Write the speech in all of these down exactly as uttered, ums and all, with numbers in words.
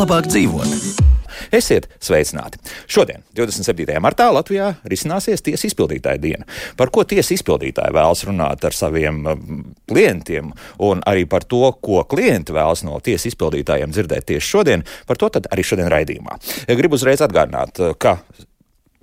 Labāk dzīvot. Esiet sveicināti! Šodien, divdesmit septītajā martā, Latvijā risināsies tiesas izpildītāja diena. Par ko tiesas izpildītāji vēlas runāt ar saviem klientiem un arī par to, ko klienti vēlas no tiesas izpildītājiem dzirdēt tieši šodien, par to tad arī šodien raidījumā. Gribu uzreiz atgādināt, ka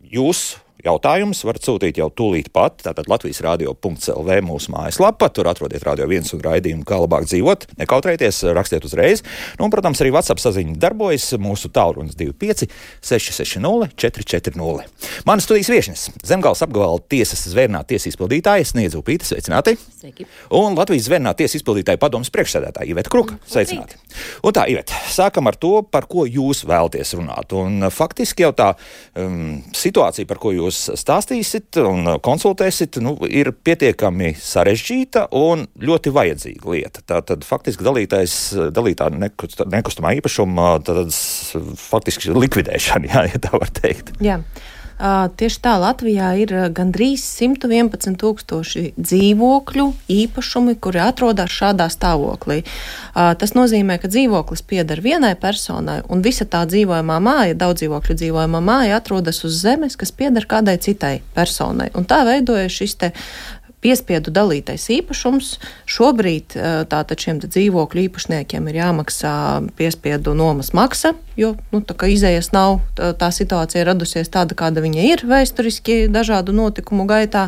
jūs jautājumus varat sūtīt jau tūlīt pat, tātad latvijas radio punkts el vē mūsu mājaslapa, tur atrodiet Radio viens un raidījumu Kā labāk dzīvot, nekautrējieties, rakstiet uzreiz. Nu, un, protams, arī WhatsApp saziņa darbojas, mūsu tālrunis divi pieci seši seši nulle četri četri nulle. Mana studijas viešņas, Zemgales apgabala tiesas zvērnāta tiesas izpildītāja Sniedza Upīte, sveicināti. Sveiki. Un Latvijas zvērnāta tiesas izpildītāja padomes priekšsēdētāja Iveta Kruka, sveicināti. Un tā, Iveta, sākam ar to, par ko jūs vēlaties runāt. Un faktiski jau tā um, situācija, par ko jūs stāstīsit un konsultēsit, nu, ir pietiekami sarežģīta un ļoti vajadzīga lieta. Tātad faktiski dalītais, dalītā nekust, nekustamā īpašuma tātad, faktiski likvidēšana, jā, ja tā var teikt. Jā. Uh, tieši tā, Latvijā ir gandrīz simt vienpadsmit tūkstoši dzīvokļu īpašumi, kuri atrodas šādā stāvoklī. Uh, tas nozīmē, ka dzīvoklis pieder vienai personai un visa tā dzīvojamā māja, daudz dzīvokļu dzīvojamā māja atrodas uz zemes, kas pieder kādai citai personai. Un tā veidoja šis te piespiedu dalītais īpašums. Šobrīd tātad šiem dzīvokļu īpašniekiem ir jāmaksā piespiedu nomas maksa, jo nu, tā kā izējas nav, tā, tā situācija radusies tāda, kāda viņa ir vēsturiski dažādu notikumu gaitā.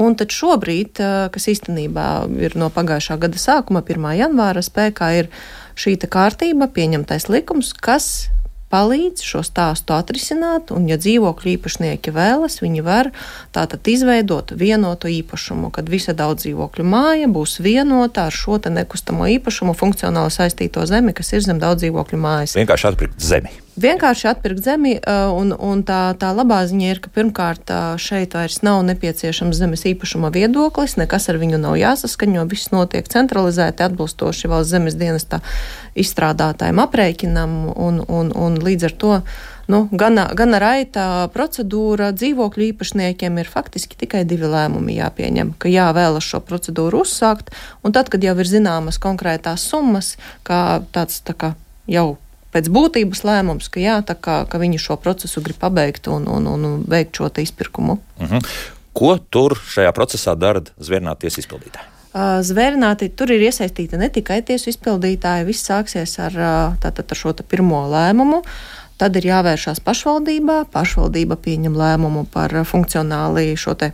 Un tad šobrīd, kas īstenībā ir no pagājušā gada sākuma, pirmā janvāra, spēkā ir šī kārtība, pieņemtais likums, kas palīdz šo stāstu atrisināt, un ja dzīvokļu īpašnieki vēlas, viņi var tātad izveidot vienotu īpašumu, kad visa daudz dzīvokļu māja būs vienota ar šo te nekustamo īpašumu funkcionāli saistīto zemi, kas ir zem daudz dzīvokļu mājas. Vienkārši atpirkt zemi. Vienkārši atpirkt zemi, un, un tā, tā labā ziņa ir, ka pirmkārt šeit vairs nav nepieciešams zemes īpašuma viedoklis, nekas ar viņu nav jāsaskaņo, viss notiek centralizēti atbilstoši valsts zemes dienesta izstrādātājiem aprēķinam, un, un, un līdz ar to nu, gana, gana raita procedūra dzīvokļu īpašniekiem ir faktiski tikai divi lēmumi jāpieņem, ka jā, vēlas šo procedūru uzsākt, un tad, kad jau ir zināmas konkrētās summas, kā tāds tā kā jau pēc būtības lēmums, ka jā, tā kā, ka viņi šo procesu grib pabeigt un, un, un veikt šo te izpirkumu. Uh-huh. Ko tur šajā procesā dara zvērnāta tiesas izpildītāja? Uh, zvērnāti, tur ir iesaistīta ne tikai tiesu izpildītāja, viss sāksies ar, tātad, ar šo te pirmo lēmumu. Tad ir jāvēršās pašvaldībā, pašvaldība pieņem lēmumu par funkcionāli šo te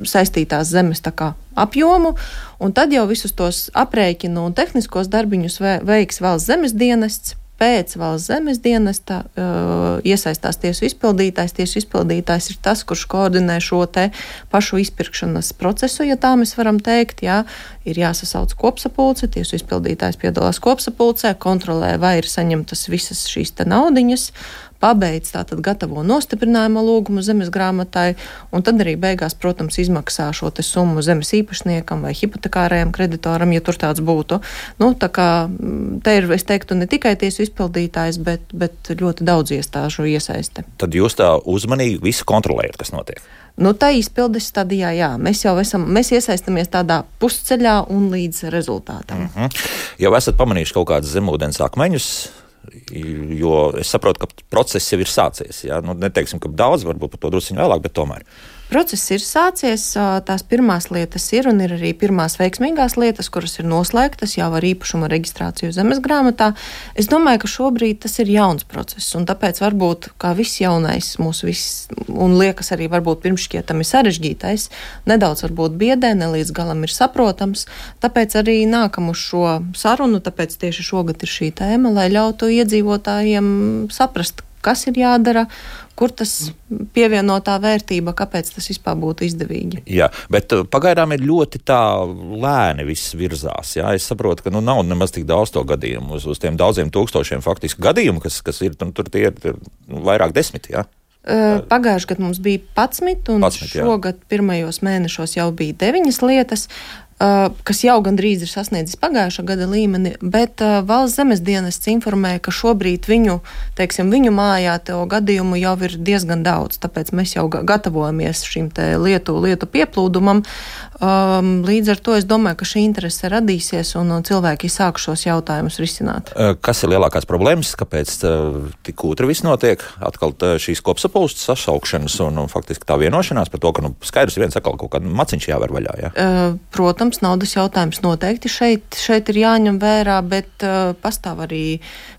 saistītās zemes tā kā apjomu, un tad jau visus tos aprēķinu un tehniskos darbiņus veiks valsts zemes dienests. Pēc valsts zemes dienesta uh, iesaistās tiesu izpildītājs. Tiesu izpildītājs ir tas, kurš koordinē šo te pašu izpirkšanas procesu, ja tā mēs varam teikt. Jā, ir jāsasauc kopsapulce, tiesu izpildītājs piedalās kopsapulcē, kontrolē, vai ir saņemtas visas šīs te naudiņas, pabeidz tātad gatavo nostiprinājuma lūgumu zemes grāmatai, un tad arī beigās, protams, izmaksā šo te summu zemes īpašniekam vai hipotekārajam kreditoram, ja tur tāds būtu. Nu, tā kā te ir, es teiktu, ne tikai tiesu izpildītājs, bet, bet ļoti daudz iestāžu iesaiste. Tad jūs tā uzmanīgi visu kontrolējat, kas notiek? Nu, tā izpildes stadijā, jā. Mēs jau esam, mēs iesaistamies tādā pusceļā un līdz rezultātam. Mm-hmm. Jau esat pamanījuši kaut kādas zemūdens akmeņus, jo es saprotu, ka process jau ir sācies. Jā? Nu, neteiksim, ka daudz, varbūt par to drusciņu vēlāk, bet tomēr. Process ir sācies, tās pirmās lietas ir un ir arī pirmās veiksmīgās lietas, kuras ir noslēgtas jau ar īpašuma reģistrāciju zemes grāmatā. Es domāju, ka šobrīd tas ir jauns process, un tāpēc varbūt kā viss jaunais mūsu viss, un liekas arī varbūt pirmšķietami sarežģītais, nedaudz varbūt biedē, ne līdz galam ir saprotams, tāpēc arī nākam uz šo sarunu, tāpēc tieši šogad ir šī tēma, lai ļautu iedzīvotājiem saprast, kas ir jādara, kur tas pievienotā vērtība, kāpēc tas vispār būtu izdevīgi. Jā, bet pagaidām ir ļoti tā lēni viss virzās. Jā. Es saprotu, ka nu, nav nemaz tik daudz to gadījumu. Uz, uz tiem daudziem tūkstošiem faktiski gadījumu, kas, kas ir, tur tie ir, ir vairāk desmit, jā. Pagājuši gadu mums bija padsmit, un padsmit, šogad pirmajos mēnešos jau bija deviņas lietas. kas jau gandrīz ir sasniedzis pagājušā gada līmeni, bet uh, valsts zemes dienests informēja, ka šobrīd viņu, teiksim, viņu mājā to gadījumu jau ir diezgan daudz, tāpēc mēs jau gatavojamies šim te lietu, lietu pieplūdumam. Um, līdz ar to es domāju, ka šī interese radīsies un, un cilvēki sāk šos jautājumus risināt. Kas ir lielākās problēmas? Kāpēc tik kūtri viss notiek? Atkal šīs kopsapulces sašaukšanas un, un faktiski tā vienošanās par to, ka nu, skaidrs viens atkal kaut kādu maciņš jāver vaļā, jā? Uh, protams, naudas jautājums noteikti šeit, šeit ir jāņem vērā, bet uh, pastāv arī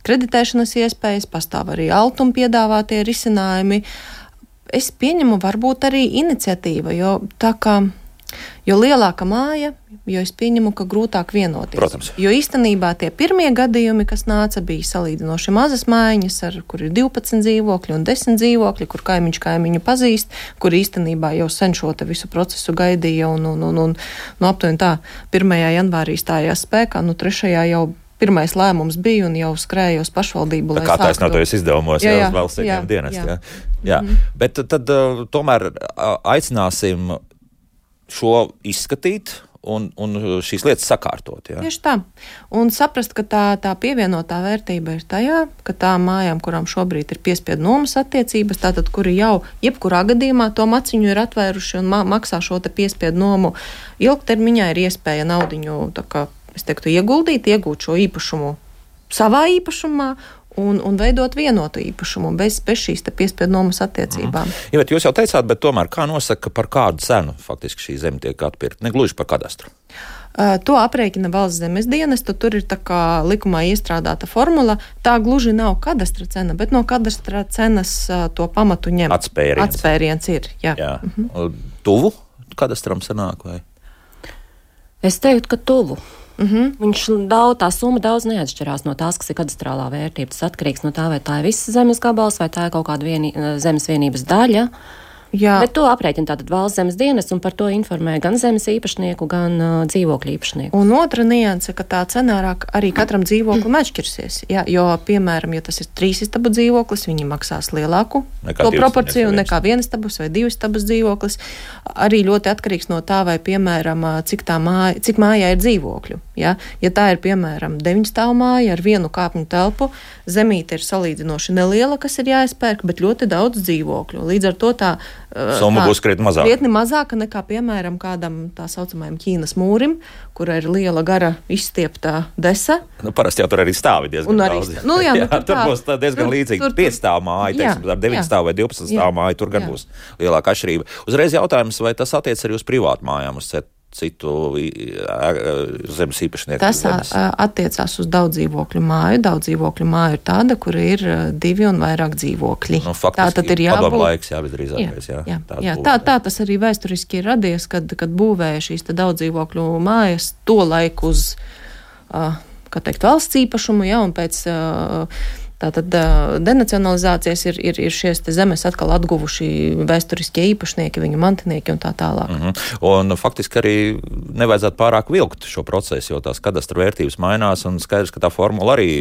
kreditēšanas iespējas, pastāv arī altuma piedāvātie risinājumi. Es pieņemu varbūt arī iniciatīva, jo tā kā Jo lielāka māja, jo es pieņemu, ka grūtāk vienoties. Protams. Jo īstenībā tie pirmie gadījumi, kas nāca, bija salīdzinoši mazas mājiņas, ar, kur ir divpadsmit dzīvokļi un desmit dzīvokļi, kur kaimiņš kaimiņu pazīst, kur īstenībā jau sen šo te visu procesu gaidīja un, un, un, un no aptuveni tā pirmajā janvārī stājās spēkā, nu trešajā jau pirmais lēmums bija un jau skrēja uz pašvaldību. Kā taisnoties izdevumos, jā, jā, uz valsts ieņēmuma dienestu. Jā, jā. jā. Mm-hmm. Bet tad uh, tomēr uh, aicināsim šo izskatīt un, un šīs lietas sakārtot. Jā. Tieši tā. Un saprast, ka tā, tā pievienotā vērtība ir tajā, ka tām mājām, kurām šobrīd ir piespiedu nomas attiecības, tātad, kuri jau jebkurā gadījumā to maciņu ir atvēruši un ma- maksā šo te piespiedu nomu, ilgtermiņā ir iespēja naudiņu, tā kā es teiktu, ieguldīt, iegūt šo īpašumu savā īpašumā, Un, un veidot vienotu īpašumu bez, bez šīs te piespiedu nomas attiecībām. Mm. Ja, bet jūs jau teicāt, bet tomēr kā nosaka, par kādu cenu faktiski šī zeme tiek atpirkta? Ne gluži par kadastru. Uh, to aprēķina valsts zemes dienestu, tur ir tā kā likumā iestrādāta formula. Tā gluži nav kadastra cena, bet no kadastra cenas uh, to pamatu ņem. Atspēriens. Atspēriens ir, jā. jā. Mhm. Tuvu kadastram sanāk vai? Es teiktu, ka tuvu. Mm-hmm. Viņš daudz, tā summa daudz neatšķirās no tās, kas ir kadastrālā vērtība. Tas atkarīgs no tā, vai tā ir viss zemes gabals, vai tā ir kaut kāda vienī, zemes vienības daļa. Jā. Bet to aprēķina tātad valsts zemes dienests un par to informē gan zemes īpašnieku, gan uh, dzīvokļu īpašnieku. Un otra nianse, ka tā cena arī katram dzīvoklim atšķirsies. Jā, jo, piemēram, ja tas ir trīs istabu dzīvoklis, viņi maksās lielāku nekā to proporciju nekā vienas istabas vai divas istabas dzīvoklis. Arī ļoti atkarīgs no tā, vai, piemēram, cik, tā māja, cik mājā ir dzīvokļu. Ja? Ja tā ir, piemēram, deviņu stāvu māja ar vienu kāpņu telpu, zemīte ir salīdzinoši neliela, kas ir jāizpērk, bet ļoti daudz dzīvokļu. Līdz ar to tā summa būs krietni mazāka. Krietni mazāka nekā, piemēram, kādam tā saucamajam Ķīnas mūrim, kur ir liela gara izstieptā desa. Nu, parasti jau tur arī stāvi diezgan arī, daudz. Nu, jā, nu, jā, tur, tur būs diezgan līdzīgi. pieci stāvu māja, teiksim, ar deviņu stāvu vai divpadsmit stāvu māju, tur gan jā. Būs lielāka atšķirība. Uzreiz jautājums, vai tas attiec arī uz privātu mājām, uz citu zemes īpašnieku? Tas zemes. Attiecās uz daudz dzīvokļu māju. Daudz dzīvokļu māju ir tāda, kur ir divi un vairāk dzīvokļi. Nu, faktiski, tā tad ir jābūt. Padomu laiks, jā, visdrīzākais, jā. jā, jā, jā tā, tā tas arī vēsturiski ir radies, kad, kad būvēja šīs te daudz dzīvokļu mājas to laiku uz, kā teikt, valsts īpašumu, jā, un pēc tātad denacionalizācijas ir, ir, ir šies te zemes atkal atguvuši vēsturiskie īpašnieki, viņu mantinieki un tā tālāk. Mm-hmm. Un faktiski arī nevajadzētu pārāk vilkt šo procesu, jo tās kadastra vērtības mainās un skaidrs, ka tā formula arī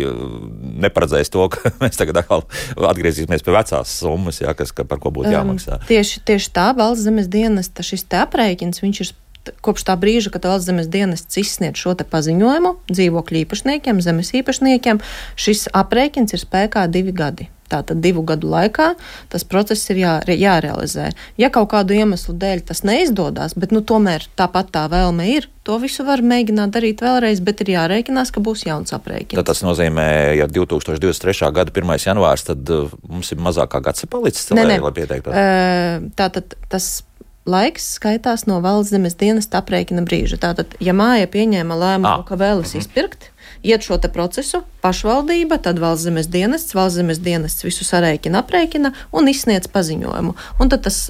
neparedzēs to, ka mēs tagad atkal atgriezīsimies pie vecās summas, jā, kas, par ko būtu jāmaksā. Um, tieši, tieši tā valsts zemes dienesta šis te aprēķins, viņš ir kopš tā brīža, kad valsts zemes dienests izsniedz šo te paziņojumu dzīvokļu īpašniekiem, zemes īpašniekiem, šis aprēķins ir spēkā divi gadi. Tātad divu gadu laikā tas process ir jā, jārealizē. Ja kaut kādu iemeslu dēļ tas neizdodas, bet nu tomēr tāpat tā vēlme ir, to visu var mēģināt darīt vēlreiz, bet ir jārēķinās, ka būs jauns aprēķins. Tad tas nozīmē, ja divtūkstoš divdesmit trešā gada pirmais janvārs, tad uh, mums ir mazāk kā gads palicis, ne, lai, ne. lai pieteiktos. Uh, tātad tas laiks skaitās no valsts zemes dienesta aprēķina brīža. Tātad, ja māja pieņēma lēmumu, ah. ka vēlas mm-hmm. izpirkt, iet šo te procesu, pašvaldība, tad valsts zemes dienests, valsts zemes dienests visu sarēķina, aprēķina un izsniedz paziņojumu. Un tad tas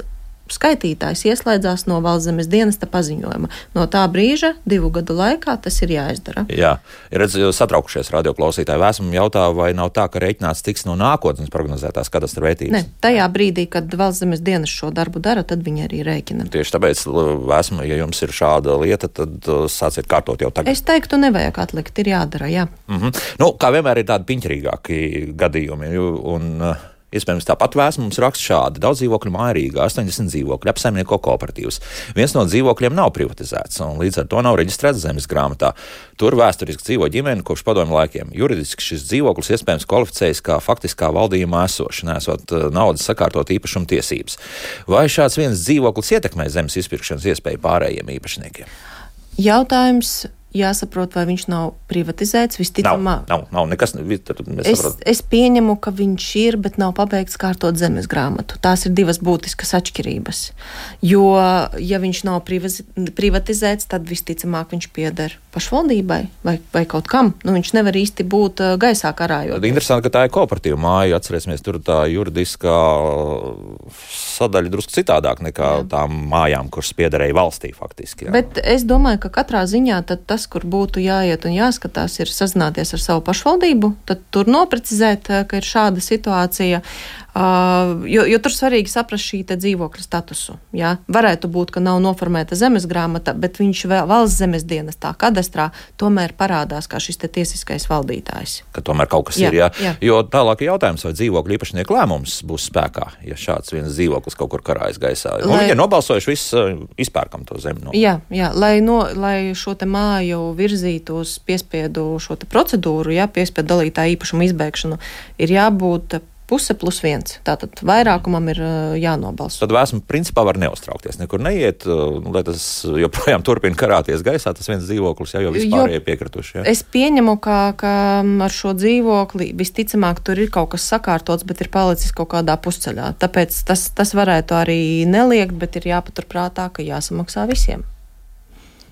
skaitītājs ieslēdzās no valsts zemes dienesta paziņojuma. No tā brīža, divu gadu laikā, tas ir jāizdara. Jā, redz, satraukušies radioklausītāji. Vēsmu jautā, vai nav tā, ka reiķināts tiks no nākotnes prognozētās kadastra vērtības? Ne, tajā brīdī, kad valsts zemes dienests šo darbu dara, tad viņi arī rēķina. Tieši tāpēc, vēsmu, ja jums ir šāda lieta, tad sāciet kārtot jau tagad. Es teiktu, nevajag atlikt, ir jādara, jā. Mm-hmm. Nu, kā vienmēr ir tādi piņķerīgāki gadījumi, un Iespējams, tāpat vēsts mums raksta šādi. Daudz dzīvokļu māja Rīgā, astoņdesmit dzīvokļi, apsaimnieko kooperatīvs. Viens no dzīvokļiem nav privatizēts, un līdz ar to nav reģistrēts zemes grāmatā. Tur vēsturiski dzīvo ģimene kopš padomju laikiem. Juridiski šis dzīvoklis iespējams kvalificējas kā faktiskā valdījumā esoša, nesot naudas sakārtot īpašuma tiesības. Vai šāds viens dzīvoklis ietekmē zemes izpirkšanas iespēju pārējiem īpašniekiem? Jautājums. Jāsaprot, vai viņš nav privatizēts. Visticamāk, nav, nav, nav nekas. Es, es pieņemu, ka viņš ir, bet nav pabeigts kārtot zemes grāmatu. Tās ir divas būtiskas atšķirības. Jo, ja viņš nav privatizēts, tad visticamāk viņš pieder pašvaldībai vai, vai kaut kam. Nu, viņš nevar īsti būt gaisā karājot. Tad interesanti, ka tā ir kooperatīva māja. Atcerēsimies, tur tā juridiskā sadaļa drusku citādāk nekā jā. Tām mājām, kuras piederēja valstī faktiski. Jā. Bet es domāju, ka katrā ziņā tad tas, kur būtu jāiet un jāskatās, ir sazināties ar savu pašvaldību, tad tur noprecizēt, ka ir šāda situācija, uh, jo, jo tur svarīgi saprast šī te dzīvokļa statusu. Jā? Varētu būt, ka nav noformēta zemes grāmata, bet viņš vēl valsts zemes dienestā, kadastrā, tomēr parādās kā šis te tiesiskais valdītājs. Ka tomēr kaut kas jā, ir, jā. jā. Jo tālāk ir jautājums, vai dzīvokļu īpašnieku lēmums būs spēkā, ja šāds viens dzīvoklis kaut kur karājas gaisā. Lai... Un viņi ir nobalsojuši, viss izpērkam to zemi. No. Jā, jā, lai, no, lai šo te māju virzītu uz piespiedu šo te procedūru, jā, piespiedu dalītā īpašuma izbēgšanu, ir jābūt puse plus viens. Tātad vairākumam ir jānobalso. Tad vēsmu principā var neuztraukties, nekur neiet, lai tas joprojām turpina karāties gaisā, tas viens dzīvoklis, jā, jo vispārējie piekrituši. Jā. Es pieņemu, ka, ka ar šo dzīvokli visticamāk tur ir kaut kas sakārtots, bet ir palicis kaut kādā pusceļā. Tāpēc tas, tas varētu arī neliekt, bet ir jāpaturprātā, ka jāsamaksā visiem.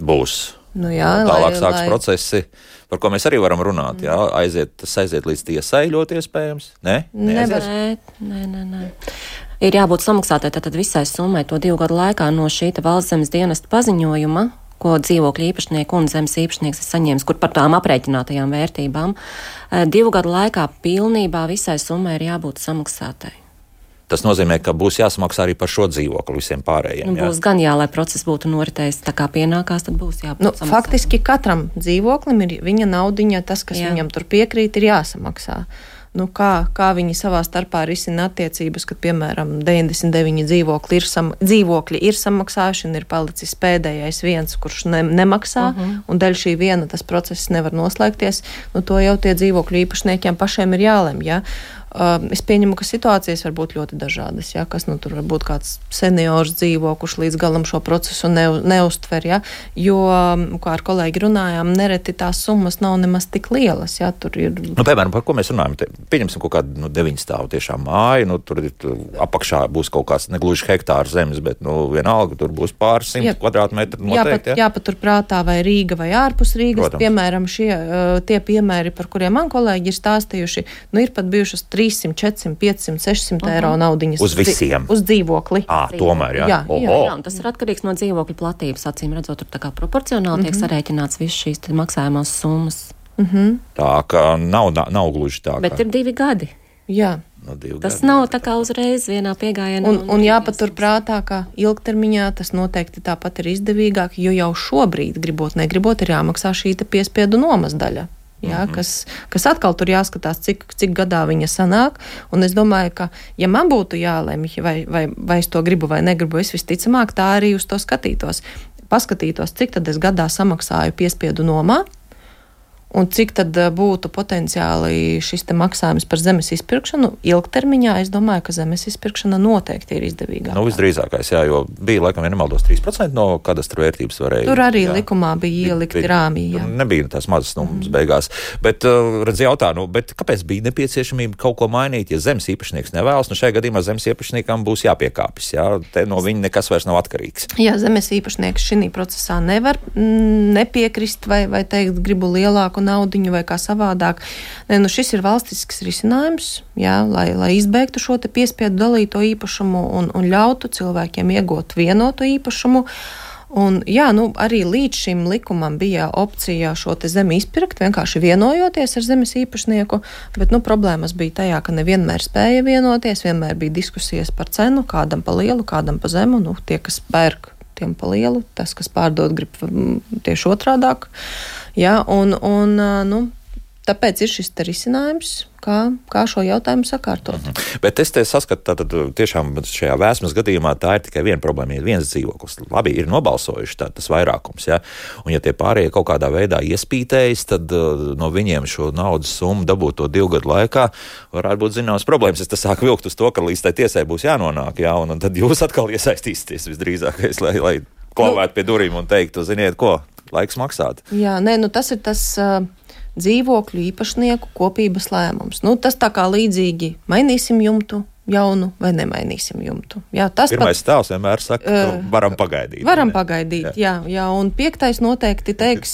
Būs. Nu jā, tālāk lai, sāks lai... procesi, par ko mēs arī varam runāt. Jā, aiziet, tas aiziet līdz tiesai ļoti iespējams. Nē, nē, nē, nē, nē. Ir jābūt samaksātai tātad visai summai to divu gadu laikā no šī valsts zemes dienesta paziņojuma, ko dzīvokļu īpašnieku un zemes īpašnieks ir saņēmis, kur par tām aprēķinātajām vērtībām. Divu gadu laikā pilnībā visai summai ir jābūt samaksātai. Tas nozīmē, ka būs jāsamaksā arī par šo dzīvokli visiem pārējiem. Nu, būs jā. Gan jā, lai process būtu noritējis tā kā pienākās, tad būs jābūt nu, samaksā. Faktiski katram dzīvoklim ir viņa naudiņa, tas, kas jā. Viņam tur piekrīt, ir jāsamaksā. Nu, kā, kā viņi savā starpā risina attiecības, kad, piemēram, deviņdesmit deviņi dzīvokļi ir, sam, dzīvokļi ir samaksājuši un ir palicis pēdējais viens, kurš ne, nemaksā, uh -huh. un dēļ šī viena tas process nevar noslēgties, nu, to jau tie dzīvokļu īpašniekiem pašiem ir jālemj, ja? Uh, es pieņemu, ka situācijas var būt ļoti dažādas, ja? Kas nu tur var būt kāds seniors dzīvo, kurš līdz galam šo procesu ne, neuztver, ja? Jo, kā ar kolēģi runājām, nereti tās summas nav nemaz tik lielas, ja? Tur ir... Nu, piemēram, par ko mēs runājam? Te, pieņemsim kaut kādu nu, deviņu stāvu tiešām māju, nu, tur ir, apakšā būs kaut kāds negluži hektārs zemes, bet nu, vienalga tur būs pāris simt kvadrātmetru noteikti. Jā, jāpatur prātā vai Rīga vai ārpus Rīgas. Protams. Piemēram, šie, tie piemēri, par kuriem man kolēģi ir stāstījuši, nu, ir pat bijušas trīssimt, četrsimt, piecsimt, sešsimt uh-huh. eiro naudiņas. Uz visiem? Uz dzīvokli. Ā, tomēr, jā. Jā, jā, jā, un tas ir atkarīgs no dzīvokļa platības, acīm redzot, tur tā kā proporcionāli uh-huh. tiek sarēķināts viss šīs maksājumās summas. Uh-huh. Tā ka nav, nav gluži tā. Bet kā... ir divi gadi. Jā. No tas gadi, nav tā kā uzreiz vienā piegājienā. Un, un, un jāpatur prātā, ka ilgtermiņā tas noteikti tāpat ir izdevīgāk, jo jau šobrīd, gribot, negribot, ir jāmaksā šī te piespiedu nomas daļa. Jā, mm-hmm. kas, kas atkal tur jāskatās, cik, cik gadā viņa sanāk. Un es domāju, ka, ja man būtu jālemj, vai, vai, vai es to gribu vai negribu, es visticamāk tā arī uz to skatītos. Paskatītos, cik tad es gadā samaksāju piespiedu nomā, un cik tad būtu potenciāli šis te maksājums par zemes izpirkšanu ilgtermiņā. Es domāju, ka zemes izpirkšana noteikti ir izdevīgāka. Nu, visdrīzākais, jā, jo bija, laikam, ja nemaldos, trīs procenti no kadastra vērtības varēja. Tur arī jā. Likumā bija ielikti rāmī, jā. Nebija tās mazas nummas mm. beigās. Bet, redz, jautā, nu, bet kāpēc bija nepieciešamība kaut ko mainīt, ja zemes īpašnieks nevēlas? Nu, šajā gadījumā zemes īpašniekam būs jāpiekāpjas, jā? Te no viņa nekas vairs nav atkarīgs. Jā, zemes īpašnieks šī procesā nevar mm, nepiekrist vai, vai teikt, gribu lielāku naudiņu vai kā savādāk. Ne, nu šis ir valstisks risinājums, jā, lai, lai izbeigtu šo te piespiedu dalīto īpašumu un, un ļautu cilvēkiem iegūt vienotu īpašumu. Un, jā, nu, arī līdz šim likumam bija opcija šo te zemi izpirkt, vienkārši vienojoties ar zemes īpašnieku, bet nu, problēmas bija tajā, ka nevienmēr spēja vienoties, vienmēr bija diskusijas par cenu, kādam pa lielu, kādam pa zemu, nu, tie, kas pērk, tiem pa lielu, tas, kas pārdod, grib tieši otrādāk. Jā, un, un nu, tāpēc ir šis te risinājums, kā, kā šo jautājumu sakārtot. Mhm. Bet es te saskatu, tātad tiešām šajā vēsmas gadījumā tā ir tikai viena problēma, ir viens dzīvoklis. Labi, ir nobalsojuši tā, tas vairākums, ja? Un ja tie pārējie kaut kādā veidā iespītējas, tad uh, no viņiem šo naudas summu dabūt to divu gadu laikā varētu būt zināmas problēmas. Es tas sāku vilkt uz to, ka līdz tai tiesai būs jānonāk, ja? un, un tad jūs atkal iesaistīsieties visdrīzākais, lai, lai klavētu pie durvīm un teiktu, ziniet ko, laiks maksāt. Jā, nē, nu tas ir tas... Uh... dzīvokļu īpašnieku kopības lēmums. Nu, tas tā kā līdzīgi mainīsim jumtu jaunu vai nemainīsim jumtu. Jā, tas Pirmais pat, tēls vienmēr saka, ka uh, varam pagaidīt. Varam ne? pagaidīt, jā. jā, jā, un piektais noteikti teiks,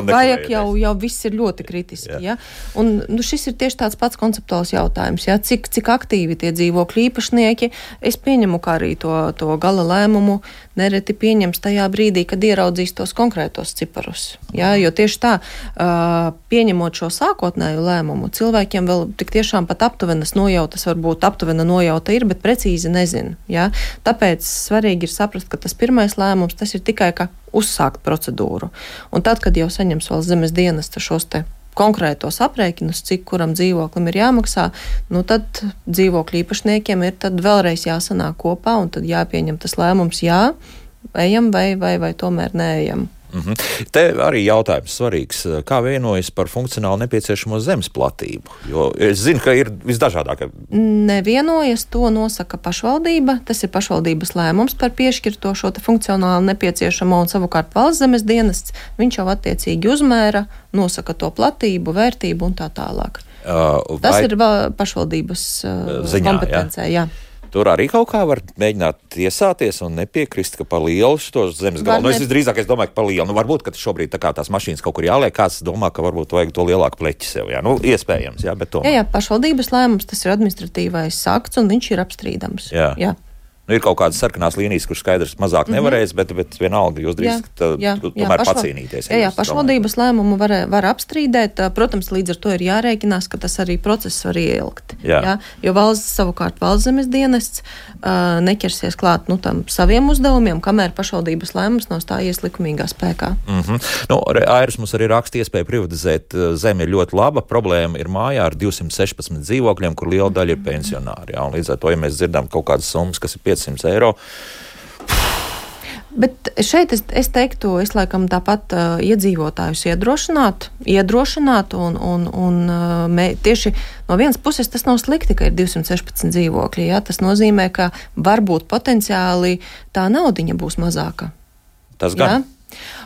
vajag jau, jau viss ir ļoti kritiski, jā. Jā. Un nu, šis ir tieši tāds pats konceptuāls jautājums, jā, cik, cik aktīvi tie dzīvokļu īpašnieki, es pieņemu, kā arī to, to gala lēmumu nereti pieņems tajā brīdī, kad ieraudzīs tos konkrētos ciparus, jā, jo tieši tā, uh, pieņemot šo sākotnēju lēmumu, cilvēkiem vēl tik tiešām pat aptuvenas nojautas varbūt aptuvenas nojauta ir, bet precīzi nezinu. Ja? Tāpēc svarīgi ir saprast, ka tas pirmais lēmums, tas ir tikai kā uzsākt procedūru. Un tad, kad jau saņems valsts zemes dienesta šos te konkrētos aprēķinus, cik kuram dzīvoklim ir jāmaksā, nu tad dzīvokļu īpašniekiem ir tad vēlreiz jāsanāk kopā un tad jāpieņem tas lēmums, jā, ejam vai, vai, vai tomēr neejam. Mm-hmm. Te arī jautājums svarīgs, kā vienojas par funkcionāli nepieciešamo zemes platību, jo es zinu, ka ir visdažādākie. Nevienojas, to nosaka pašvaldība, tas ir pašvaldības lēmums par piešķirto šo te funkcionāli nepieciešamo un savukārt valsts zemes dienests, viņš jau attiecīgi uzmēra, nosaka to platību, vērtību un tā tālāk. Uh, vai... Tas ir pašvaldības uh, ziņā, kompetencē, jā. jā. Tur arī kaut kā var mēģināt tiesāties un nepiekrist, ka par lielu šos zemes galu. Nu, es drīzāk es domāju, ka par lielu. Nu, varbūt, ka šobrīd tā kā tās mašīnas kaut kur jāliek, kāds domā, ka varbūt vajag to lielāku pleķi sev. Jā, nu, iespējams, jā, bet tomēr. Jā, jā, pašvaldības lēmums, tas ir administratīvais akts un viņš ir apstrīdams. Jā. jā. Nu, ir kaut kādas sarkanās līnijas, kuras skaidrs mazāk mm-hmm. nevarēs, bet, bet vienalga jūs drīkst tomēr pašval... pacīnīties. Jā, jā, pašvaldības lēmumu var, var apstrīdēt. Protams, līdz ar to ir jārēķinās, ka tas arī process var ieilgt. Jā. Jā, jo valsts, savukārt valsts zemes dienests uh, neķersies klāt nu, tam saviem uzdevumiem, kamēr pašvaldības lēmums nav stājies likumīgā spēkā. Mm-hmm. Nu, Airis mums arī raksta iespēja privatizēt zemi ir ļoti laba. Problēma ir mājā ar divsimt sešpadsmit dzīvokļiem, kur liela daļa ir pensionāri. Jā, un līdz ar to, ja mēs dzirdam kaut kādas summas, kas ir piecsimt eiro. Bet šeit es, es teiktu, es laikam tāpat uh, iedzīvotājus iedrošināt, iedrošināt un, un, un uh, mē, tieši no vienas puses tas nav slikti, ka ir divsimt sešpadsmit dzīvokļi. Ja? Tas nozīmē, ka varbūt potenciāli tā naudiņa būs mazāka. Tas gan. Ja?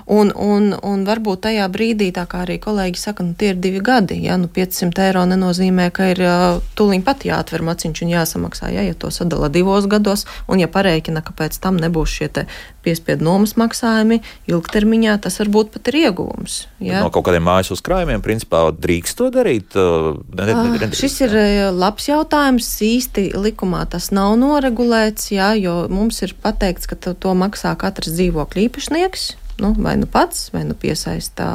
Un, un, un varbūt tajā brīdī, tā kā arī kolēģi saka, nu tie ir divi gadi, ja, nu piecsimt eiro nenozīmē, ka ir uh, tūliņ pat jāatver maciņš un jāsamaksā, ja, ja to sadala divos gados, un ja pareikina, ka pēc tam nebūs šie te piespiedu nomas maksājumi, ilgtermiņā tas varbūt pat ir ieguvums. Ja. No kaut kādiem mājas uzkrājumiem, principā, drīkst to darīt? Uh, ne, ne, ne, uh, šis ir labs jautājums, īsti likumā tas nav noregulēts, ja, jo mums ir pateikts, ka to, to maksā katrs dzīvokļu īpašnieks. Nu, vai nu pats, vai nu piesaistā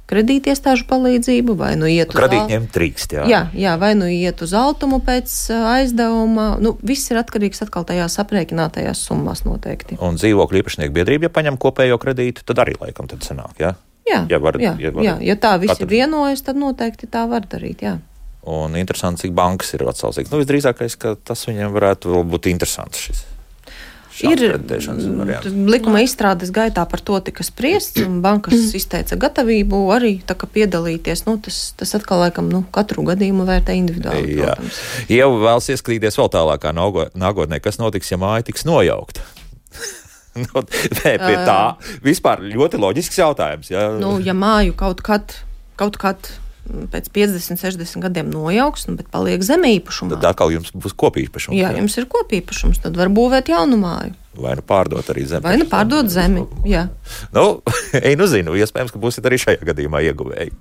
kredītiestāžu palīdzību, vai nu iet uz... Kredītņiem trīkst, jā. Jā, jā, vai nu iet uz altumu pēc aizdevuma. Nu, viss ir atkarīgs atkal tajās aprēķinātajās summās noteikti. Un dzīvokļu īpašnieku biedrība, ja paņem kopējo kredītu, tad arī laikam tad sanāk, jā? Jā, ja, var, jā, ja, var, jā, ja tā visi katru... vienojas, tad noteikti tā var darīt, jā. Un interesanti, cik bankas ir atsaucīgas. Nu, visdrīzākais, ka tas viņiem varētu vēl būt interesants šis. Ir likuma izstrādes gaitā par to tika spriests, un bankas izteica gatavību arī tā kā piedalīties. Nu, tas, tas atkal laikam nu, katru gadījumu vērtē individuāli, jā. Protams. Ieva vēlas ieskatīties vēl tālākā nākotnē, kas notiks, ja māja tiks nojaukta. nu, pie tā vispār ļoti loģisks jautājums. Ja, nu, ja māju kaut kad, kaut kad pēc piecdesmit, sešdesmit gadiem nojauks, nu, bet paliek zeme īpašumā. Tad atkal jums būs kopīpašums. Jā, jums ir kopīpašums, tad var būvēt jaunu māju. Vai nu pārdot arī zemi. Vai nu pārdot zemi, jā. Nu, ej, nu zinu, iespējams, ka būsiet arī šajā gadījumā ieguvēji.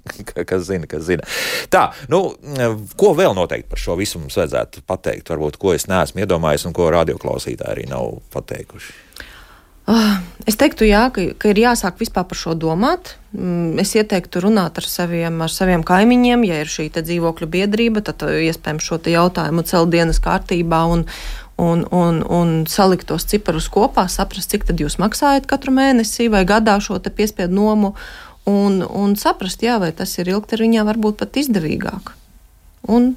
Kas zina, kas zina. Tā, nu, ko vēl noteikti par šo visu mums vajadzētu pateikt? Varbūt, ko es neesmu iedomājis un ko radioklausītāji arī nav pateikuši. Es teiktu, jā, ka, ka ir jāsāk vispār par šo domāt. Es ieteiktu runāt ar saviem, ar saviem kaimiņiem, ja ir šī te dzīvokļu biedrība, tad iespējams šo te jautājumu celt dienas kārtībā un, un, un, un salikt tos ciparus kopā, saprast, cik tad jūs maksājat katru mēnesi vai gadā šo te piespiedu nomu. un, un saprast, jā, vai tas ir ilgtermiņā varbūt pat izdevīgāk. Un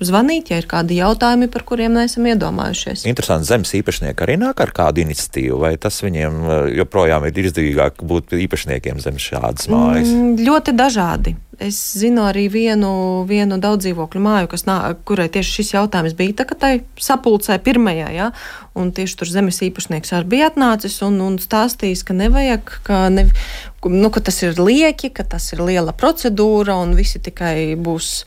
zvanīt, ja ir kādi jautājumi, par kuriem neesam iedomājušies. Interesanti, zemes īpašnieki arī nāk ar kādu iniciatīvu, vai tas viņiem joprojām ir izdevīgāk būt īpašniekiem zem šādas mājas? Mm, ļoti dažādi. Es zinu arī vienu, vienu daudzdzīvokļu māju, kas nā, kurai tieši šis jautājums bija tā, ka tai sapulcē pirmajā, ja, un tieši tur zemes īpašnieks arī bija atnācis un, un stāstījis, ka nevajag, ka, ne, nu, ka tas ir lieki, ka tas ir liela procedūra un visi tikai būs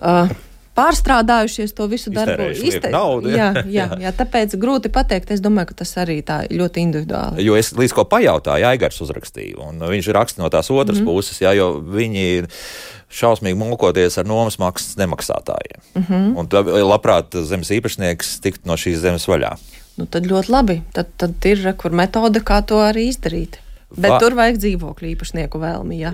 uh, pārstrādājušies to visu darbu. Iztē... naudu, jā, jā, jā, tāpēc grūti pateikt. Es domāju, ka tas arī tā ļoti individuāli. Jo es līdz ko pajautāju, Aigars uzrakstīja, un viņš raksta no tās otras mm-hmm. puses, jā, jo viņi šausmīgi mokoties ar nomas maksas nemaksātājiem. Mm-hmm. Un tad labprāt zemes īpašnieks tikt no šīs zemes vaļā. Nu, tad ļoti labi. Tad, tad ir kur metode, kā to arī izdarīt. Bet Va... tur vajag dzīvokļu īpašnieku vēlmi, jā.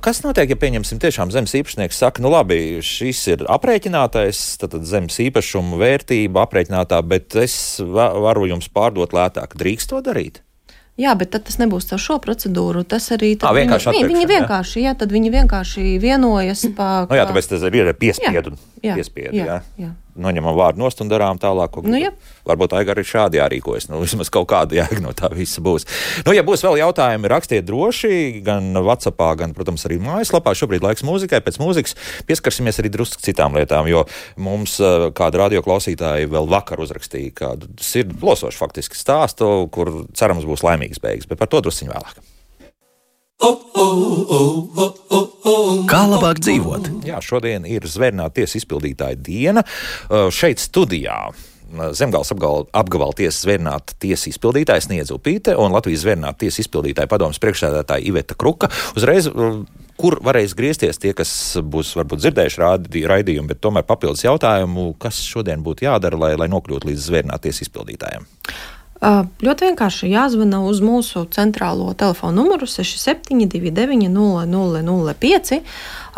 Kas notiek, ja pieņemsim tiešām zemes īpašnieks saka, nu labi, šis ir aprēķinātais, tad zemes īpašuma vērtība aprēķinātā, bet es varu jums pārdot lētāk. Drīkst to darīt? Jā, bet tad tas nebūs caur šo procedūru. Tas arī à, vienkārši viņi, viņi vienkārši, jā, tad viņi vienkārši vienojas pa... Nu jā, tāpēc tas ir piespiedu. Jā, piespiedu, jā, jā. jā. Noņemam vārdu nost un darām tālāk. Ko, nu, varbūt Aigar ir šādi jārīkojas. Nu, vismaz kaut kāda jēga no tā visa būs. Nu, ja būs vēl jautājumi, rakstiet droši, gan WhatsAppā, gan, protams, arī mājaslapā. Šobrīd laiks mūzikai. Pēc mūzikas pieskarsimies arī drusku citām lietām, jo mums kāda radioklausītāji vēl vakar uzrakstīja kādu sirdi plosošu faktiski stāstu, kur cerams būs laimīgs beigas, bet par to drusciņu vēlāk. Kā labāk dzīvot? Jā, šodien ir Zvērnāta tiesas izpildītāja diena. Šeit studijā Zemgales apgabala tiesas Zvērnāta tiesas izpildītāja Sniedze Upīte un Latvijas Zvērnāta tiesas izpildītāja padomes priekšsēdētāja Iveta Kruka. Uzreiz, kur varēs griezties tie, kas būs varbūt dzirdējuši raidījumu, bet tomēr papildus jautājumu, kas šodien būtu jādara, lai, lai nokļūtu līdz Zvērnāta tiesas izpildītājiem? Uh, ļoti vienkārši jāzvana uz mūsu centrālo telefonu numuru seši septiņi divi deviņi nulle nulle nulle pieci.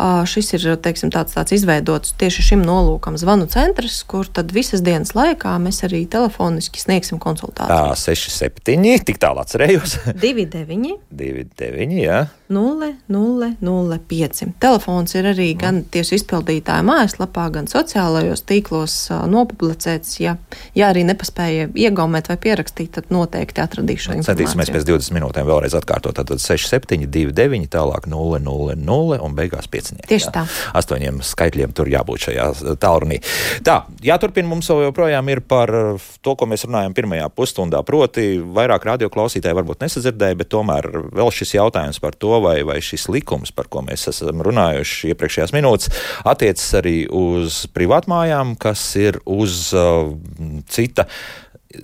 Uh, šis ir, teiksim, tāds, tāds izveidots tieši šim nolūkam zvanu centrs, kur tad visas dienas laikā mēs arī telefoniski sniegsim konsultāciju. Tā, seši septiņi, tik tālu atcerējos. divi deviņi divi deviņi, jā. nulle nulle nulle pieci. Telefons ir arī gan tiesu izpildītāja mājaslapā, gan sociālajos tīklos uh, nopublicēts. Ja, ja arī nepaspēja iegaumēt vai pierakstīt, tad noteikti atradīšu šo informāciju. Centīsimies pēc divdesmit minūtēm vēlreiz atkārtot. Tātad seši septiņi divi deviņi, tālāk nulle nulle nulle un beigās pieci. Tieši tā. Astoņiem skaitļiem tur jābūt šajā tālrunī. Tā, jāturpina mums joprojām ir par to, ko mēs runājam pirmajā pusstundā. Proti, vairāk radioklausītāji varbūt nesadzirdēja, bet tomēr vēl šis jautājums par to, vai, vai šis likums, par ko mēs esam runājuši iepriekšējās minūtes, attiecas arī uz privātmājām, kas ir uz uh, cita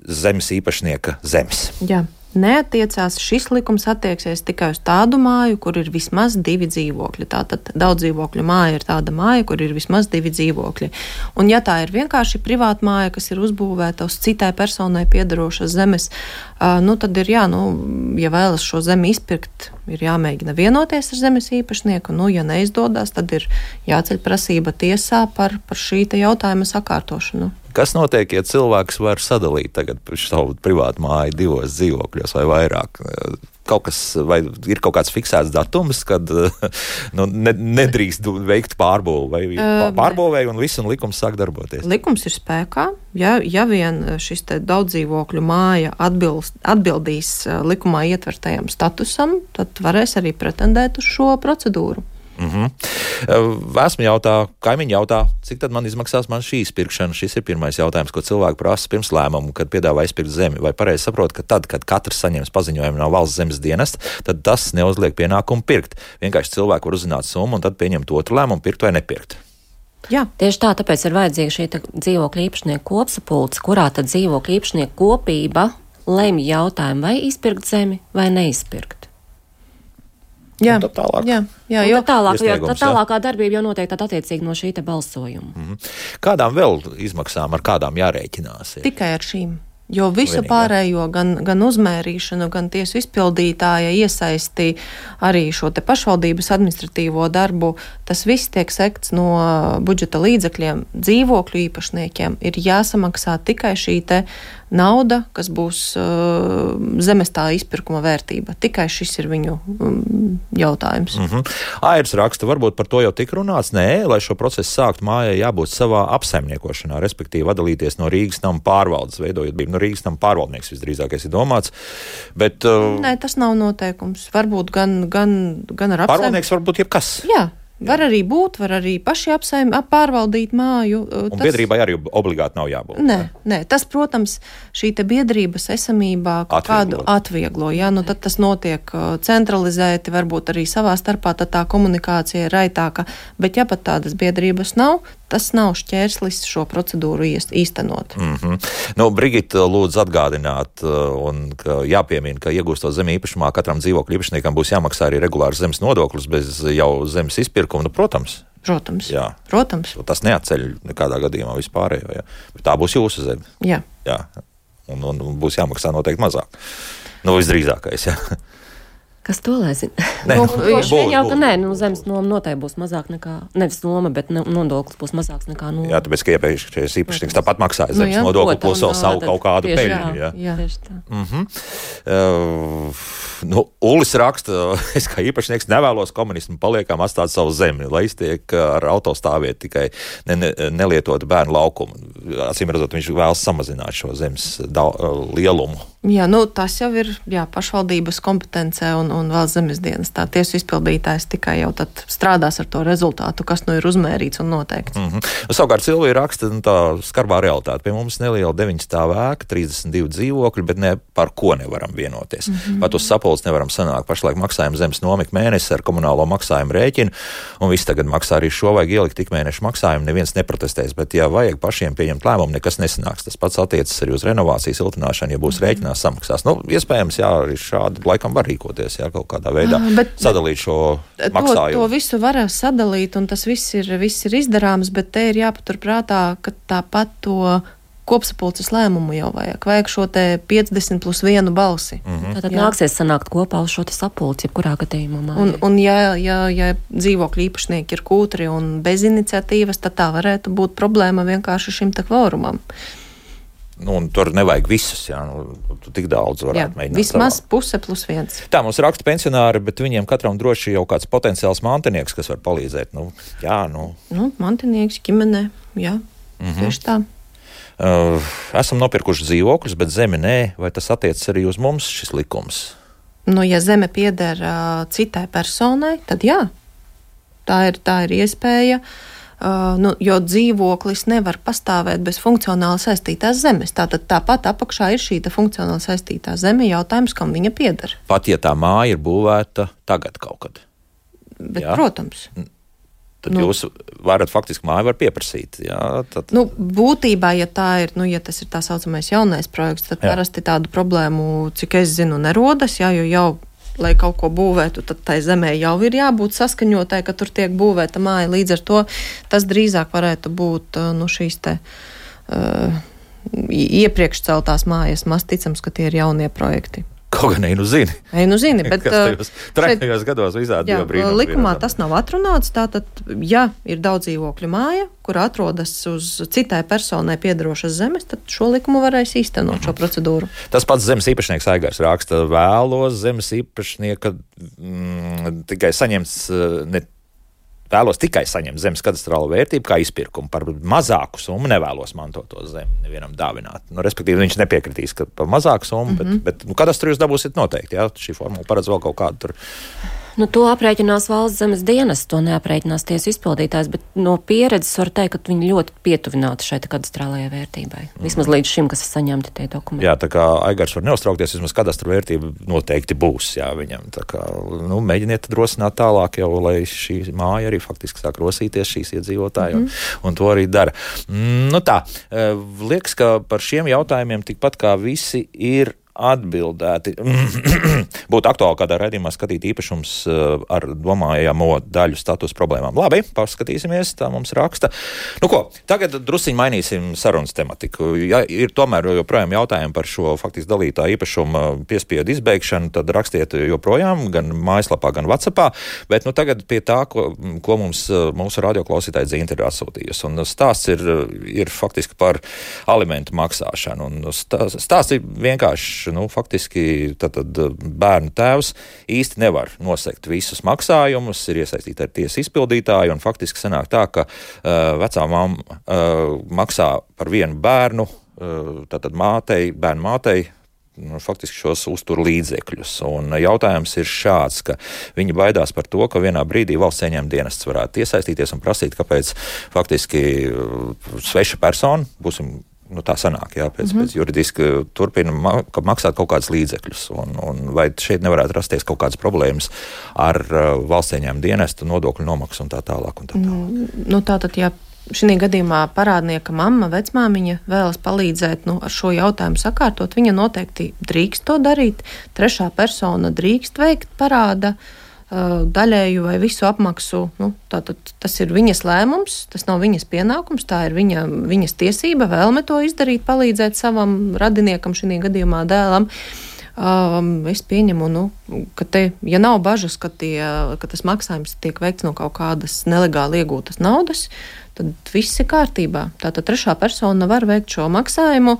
zemes īpašnieka zemes. Jā. Neatiecās, šis likums attieksies tikai uz tādu māju, kur ir vismaz divi dzīvokļi. Tātad daudzdzīvokļu māja ir tāda māja, kur ir vismaz divi dzīvokļi. Un ja tā ir vienkārši privāta māja, kas ir uzbūvēta uz citai personai piedarošas zemes, uh, nu tad ir jā, nu, ja vēlas šo zemi izpirkt, ir jāmēģina vienoties ar zemes īpašnieku. Nu, ja neizdodas, tad ir jāceļ prasība tiesā par, par šī te jautājuma sakārtošanu. Kas notiek, ja cilvēks var sadalīt tagad savu privātu māju divos dzīvokļos vai vairāk? Kaut kas, vai ir kaut kāds fiksēts datums, kad nu, ne, nedrīkst veikt pārbūvi, vai uh, pārbūvēja un viss un likums sāk darboties? Likums ir spēkā. Ja, ja vien šis te daudzdzīvokļu māja atbilst, atbildīs likumā ietvertajam statusam, tad varēs arī pretendēt uz šo procedūru. Mm-hmm. Esmu jautā, kaimiņi jautā, cik tad man izmaksās man šī izpirkšana? Šis ir pirmais jautājums, ko cilvēki prasa pirms lēmumu, kad piedāvā izpirkt zemi. Vai pareizi saprot, ka tad, kad katrs saņems paziņojumu no valsts zemes dienesta, tad tas neuzliek pienākumu pirkt. Vienkārši cilvēki var uzzināt summu un tad pieņemt otru lēmumu, pirkt vai nepirkt. Jā. Tieši tā, tāpēc ir vajadzīga šī dzīvokļa īpašnieku kopsapulce, kurā tad dzīvokļa īpašnieku kopība lemj jautājumu, vai izpirkt zemi vai neizpirkt. Jā, tālāk. jā, jā, jo tālāk, jo tā tālākā darbība jau notiek tad attiecīgi no šī te balsojuma. Mm-hmm. Kādām vēl izmaksām, ar kādām jārēķinās? Ir? Tikai ar šīm. Jo visu Vienīgi, pārējo, gan, gan uzmērīšanu, gan tiesu izpildītāja iesaisti arī šo te pašvaldības administratīvo darbu, tas viss tiek sekts no budžeta līdzekļiem. Dzīvokļu īpašniekiem ir jāsamaksā tikai šī te nauda, kas būs uh, zemes tā izpirkuma vērtība. Tikai šis ir viņu um, jautājums. Mm-hmm. Airs raksta, varbūt par to jau tik runāts. Nē, lai šo procesu sākt, mājai jābūt savā apsaimniekošanā, respektīvi atdalīties no Rīgas nama pārvaldes, veidojot bija no Rīgas nama pārvaldnieks visdrīzākais ir domāts. Bet, uh, Nē, tas nav noteikums. Varbūt gan, gan, gan ar apsaimnieku. Pārvaldnieks varbūt jebkas. Jā. Var arī būt, var arī paši apsaim, pārvaldīt māju. Un tas... biedrībai arī obligāti nav jābūt. Nē, nē, tas, protams, šī te biedrības esamībā kādu atvieglo. Jā, nu tad tas notiek centralizēti, varbūt arī savā starpā, tad tā komunikācija ir raitāka. Bet ja pat tādas biedrības nav, tas nav šķērslis šo procedūru īstenot. Mm-hmm. Nu, Brigita, lūdzu atgādināt, un ka jāpiemina, ka iegūstot zemi īpašumā katram dzīvokļu īpašniekam būs jāmaksā arī regulārs zemes nodoklis bez jau zemes izpirkuma. Nu, protams. Protams. Jā. Protams. Tas neatceļ nekādā gadījumā vispārējo. Ja? Bet tā būs jūsu zeme. Jā. Jā. Un, un, un būs jāmaksā noteikti mazāk. Nu, visdrīzākais, jā. Kas to lai zina? Nē, nu, būs, vien jau, ka būs. nē, nu, zemes noma noteikti būs mazāk nekā, nevis noma, bet nodoklis būs mazāks nekā noma. Jā, tāpēc, ka iepriekšējais īpašnieks tāpat maksāja zemes nu, nodokli, plus vēl savu kaut kādu peļņu. Jā, jā. Tieši tā. Mm-hmm. Uh, nu, Ulis raksta, es kā īpašnieks nevēlos komunismu paliekam atstāt savu zemi, lai iztiek ar autostāviet tikai ne, ne, nelietot bērnu laukumu. Acīm redzot, viņš vēlas samazināt šo zemes da, lielumu. Jā, nu, tas jau ir jā, pašvaldības kompetencē un, un vēl zemes dienas. Tā tiesu izpildītājs tikai jau tad strādās ar to rezultātu, kas nu ir uzmērīts un noteikts. Mm-hmm. Savukārt Silvija raksta nu, tā skarbā realitāte. Pie mums neliela deviņstāvu ēka, trīsdesmit divi dzīvokļi, bet ne par ko nevaram vienoties. Mm-hmm. Pat uz sapulces nevaram sanākt. Pašlaik maksājam zemes nomiku mēnesi ar komunālo maksājumu rēķinu, un viss tagad maksā arī šo vajag ielikt tik mēnešu maksājumu. Neviens neprotestēs, bet ja vajag pašiem pieņemt lēmumu, nekas nesanāks. Tas pats attiecas arī uz renovāciju, siltināšanu, ja būs rēķinās samaksās. Nu, iespējams, jā, arī šādi laikam var rīkoties, jā, kaut kādā veidā bet, sadalīt šo maksājumu. To, to visu var sadalīt, un tas viss ir, viss ir izdarāms, bet te ir jāpaturprātā, ka tāpat to kopsapulces lēmumu jau vajag. Vajag šo te piecdesmit plus vienu balsi. Mm-hmm. Tātad jā. Nāksies sanākt kopā uz šo te sapulci, jebkurā gadījumā. Un, un ja, ja, ja dzīvokļu īpašnieki ir kūtri un bez iniciatīvas, tad tā varētu būt problēma vienkārši šim te kvorumam. Nu, un tur nevajag visus, jā, nu, tu tik daudz varētu jā, mēģināt. Vismaz savā. Puse plus viens. Tā, mums raksta pensionāri, bet viņiem katram droši jau kāds potenciāls mantinieks, kas var palīdzēt. Nu, jā, nu. Nu, mantinieks, ģimenē, jā, mm-hmm. tieši tā. Uh, esam nopirkuši dzīvokļus, bet zemi nē, vai tas attiecas arī uz mums šis likums? Nu, ja zeme pieder uh, citai personai, tad jā, tā ir, tā ir iespēja. Uh, nu, jo dzīvoklis nevar pastāvēt bez funkcionāli saistītās zemes. Tātad tāpat apakšā ir šī funkcionāli saistītā zeme, jautājums, kam viņa pieder. Pat ja tā māja ir būvēta tagad kaut kad. Bet, jā? Protams. Tad nu, jūs varat faktiski māju var pieprasīt. Jā, tad... nu, būtībā, ja tā ir, nu, ja tas ir tā saucamais jaunais projekts, tad jā. Parasti tādu problēmu, cik es zinu, nerodas, jā, jo jau lai kaut ko būvētu, tad tai zemē jau ir jābūt saskaņotai, ka tur tiek būvēta māja. Līdz ar to tas drīzāk varētu būt nu, šīs te uh, iepriekš celtās mājas. Maz ticams, ka tie ir jaunie projekti. Kaut gan ei nu zini. Ei nu zini, bet tajos trakajos gados visādi jā, jau brīnumi. Likumā tas nav atrunāts, tātad, ja ir daudz dzīvokļu māja, kur atrodas uz citai personai piedarošas zemes, tad šo likumu varēs īstenot mm-hmm. šo procedūru. Tas pats zemes īpašnieks Aigars raksta, vēlos zemes īpašnieka mm, tikai saņemts ne Vēlos tikai saņemt zemes kadastrālo vērtību kā izpirkumu. Par mazāku summu nevēlos mantot to zemi nevienam dāvināt. Nu, respektīvi, viņš nepiekritīs, ka par mazāku summu, mm-hmm. bet, bet nu, kadastru jūs dabūsiet noteikti. Jā? Šī formula paredz vēl kaut kādu tur. Nu, to aprēķinās valsts zemes dienas, to neaprēķinās tiesu izpildītājs, bet no pieredzes var teikt, ka viņi ļoti pietuvināti šai kadastrālajai vērtībai. Vismaz mm. līdz šim, kas ir saņemti tie dokumenti. Jā, tā kā Aigars var neuztraukties, vismaz kadastra vērtība noteikti būs, jā, viņam. Tā kā, nu, mēģiniet rosināt tālāk jau, lai šī māja arī faktiski sāk rosīties šīs iedzīvotāji, mm. un, un to arī dara. Mm, nu tā, liekas, ka par šiem jautājumiem tikpat kā visi ir atbildēti. Būtu aktuāli kādā raidījumā skatīt īpašums ar domājamo daļu status problēmām. Labi, paskatīsimies, tā mums raksta. Nu ko, tagad drusciņi mainīsim sarunas tematiku. Ja ir tomēr joprojām jautājumi par šo faktiski dalītā īpašuma piespiedu izbeigšanu, tad rakstiet joprojām gan mājaslapā, gan WhatsAppā, bet nu tagad pie tā, ko, ko mums mūsu radioklausītāji Zīnta ir atsūtījusi. Un stāsts ir, ir faktiski par alimentu maksāšanu. Un stāsts ir vienkārši, nu, faktiski tad, tad bērnu tēvs īsti nevar nosegt visus maksājumus, ir iesaistīti ar tiesu izpildītāju, un faktiski sanāk tā, ka uh, vecā mamma uh, maksā par vienu bērnu, uh, tātad mātei, bērnu mātei, nu, faktiski šos uztur līdzekļus. Un jautājums ir šāds, ka viņi baidās par to, ka vienā brīdī valsts ieņēmuma dienests varētu iesaistīties un prasīt, kāpēc faktiski uh, sveša persona, būsim nu, tā sanāk, jā, pēc, mm-hmm. pēc juridiski turpina ma- maksāt kaut kādus līdzekļus. Un, un vai šeit nevarētu rasties kaut kādas problēmas ar uh, valsts ieņēmuma dienestu, nodokļu nomaksu un tā tālāk? Un tā tālāk. Mm, nu, tātad, ja šī gadījumā parādnieka mamma, vecmāmiņa vēlas palīdzēt nu, ar šo jautājumu sakārtot, viņa noteikti drīkst to darīt. Trešā persona drīkst veikt parāda daļēju vai visu apmaksu, nu, tātad tas ir viņas lēmums, tas nav viņas pienākums, tā ir viņa, viņas tiesība, vēlme to izdarīt, palīdzēt savam radiniekam, šī gadījumā dēlam. Um, es pieņemu, nu, ka te, ja nav bažas, ka, tie, ka tas maksājums tiek veikts no kaut kādas nelegāli iegūtas naudas, tad viss ir kārtībā. Tātad trešā persona var veikt šo maksājumu.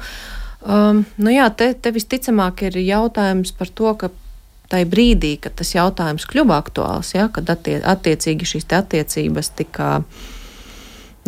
Um, nu jā, te, te visticamāk ir jautājums par to, ka tai brīdī, kad tas jautājums kļuva aktuāls, ja, kad attie, attiecīgi šīs te attiecības tika,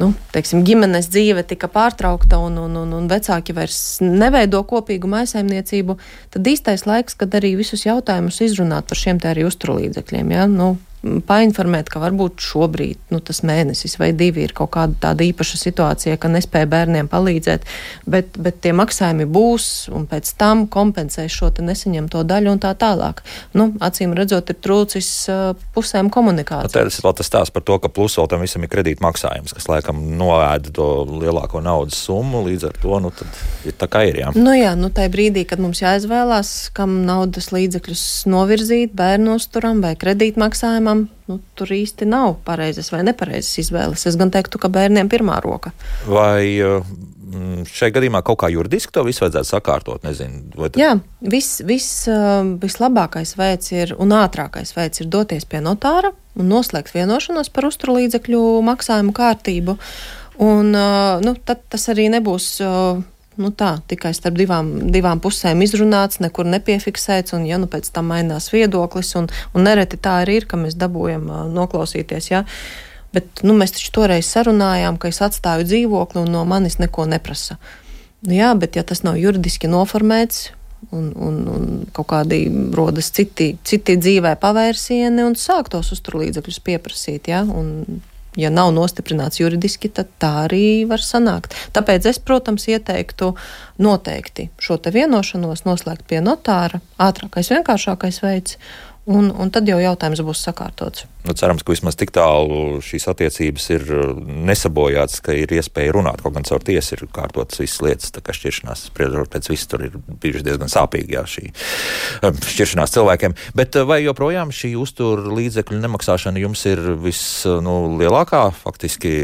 nu, teiksim, ģimenes dzīve tika pārtraukta un, un, un, un vecāki vairs neveido kopīgu mājsaimniecību, tad īstais laiks, kad arī visus jautājumus izrunāt par šiem te arī uzturlīdzekļiem, ja, nu, painformēt, ka varbūt šobrīd nu, tas mēnesis vai divi ir kaut kāda tāda īpaša situācija, ka nespēja bērniem palīdzēt, bet, bet tie maksājumi būs un pēc tam kompensēs šo te nesaņemto daļu un tā tālāk. Nu, acīm redzot, ir trūcis uh, pusēm komunikācijas. Tas ir vēl tas stāsts par to, ka plus vēl tam visam ir kredīt maksājums, kas laikam noēda to lielāko naudas summu, līdz ar to, nu, tad ir tā kā ir, jā. Nu jā, nu tai brīdī, kad mums jāizvēlās, kam naudas līdzekļus novirzīt, bērnu uzturam vai kredīt maksājumam, nu, tur īsti nav pareizas vai nepareizas izvēles. Es gan teiktu, ka bērniem pirmā roka. Vai šajā gadījumā kaut kā juridiski to visu vajadzētu sakārtot? Nezinu, vai tad... Jā, viss, viss, vislabākais veids ir un ātrākais veids ir doties pie notāra un noslēgt vienošanos par uzturlīdzekļu maksājumu kārtību. Un, nu, tad tas arī nebūs... Nu tā, tikai starp divām, divām pusēm izrunāts, nekur nepiefiksēts, un ja nu pēc tam mainās viedoklis, un, un nereti tā arī ir, ka mēs dabūjam uh, noklausīties, jā. Bet, nu, mēs taču toreiz sarunājām, ka es atstāju dzīvokli un no manis neko neprasa. Nu jā, bet ja tas nav juridiski noformēts, un, un, un kaut kādi rodas citi, citi dzīvē pavērsieni, un sāk tos uzturlīdzekļus pieprasīt, jā, un ja nav nostiprināts juridiski, tad tā arī var sanākt. Tāpēc es, protams, ieteiktu noteikti šo te vienošanos noslēgt pie notāra, ātrākais, vienkāršākais veids, un, un tad jau jautājums būs sakārtots. Nu, cerams, ka vismaz tik tālu šīs attiecības ir nesabojāts, ka ir iespēja runāt, kaut gan caur tiesu ir kārtotas visas lietas, tā kā šķiršanās spriežot pēc visu tur ir bijuši diezgan sāpīgi, jā, šī šķiršanās cilvēkiem. Bet vai joprojām šī uztur līdzekļu nemaksāšana jums ir vis, nu, lielākā faktiski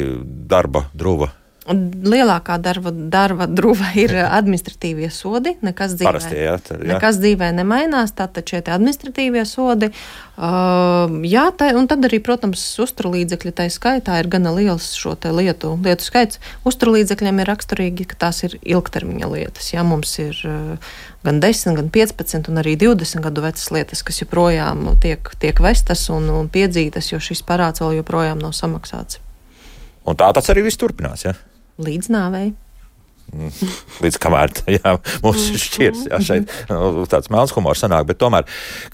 darba druva? Lielākā darba, darba druva ir administratīvie sodi. Nekas dzīvē, Parastie, jā, tā, jā. nekas dzīvē nemainās, tātad šie administratīvie sodi. Uh, jā, tā, un tad arī, protams, uzturlīdzekļi tai skaitā ir gana liels šo te lietu, lietu skaits. Uzturlīdzekļiem ir raksturīgi, ka tās ir ilgtermiņa lietas. Jā, mums ir uh, gan desmit, gan piecpadsmit un arī divdesmit gadu vecas lietas, kas joprojām tiek, tiek vestas un, un piedzītas, jo šis parāds vēl joprojām nav samaksāts. Un tā tas arī viss turpinās, jā? Līdz nāvei. Līdz kamēr, jā, mums šķirs, jā, šeit nu, tāds melns humors sanāk, bet tomēr,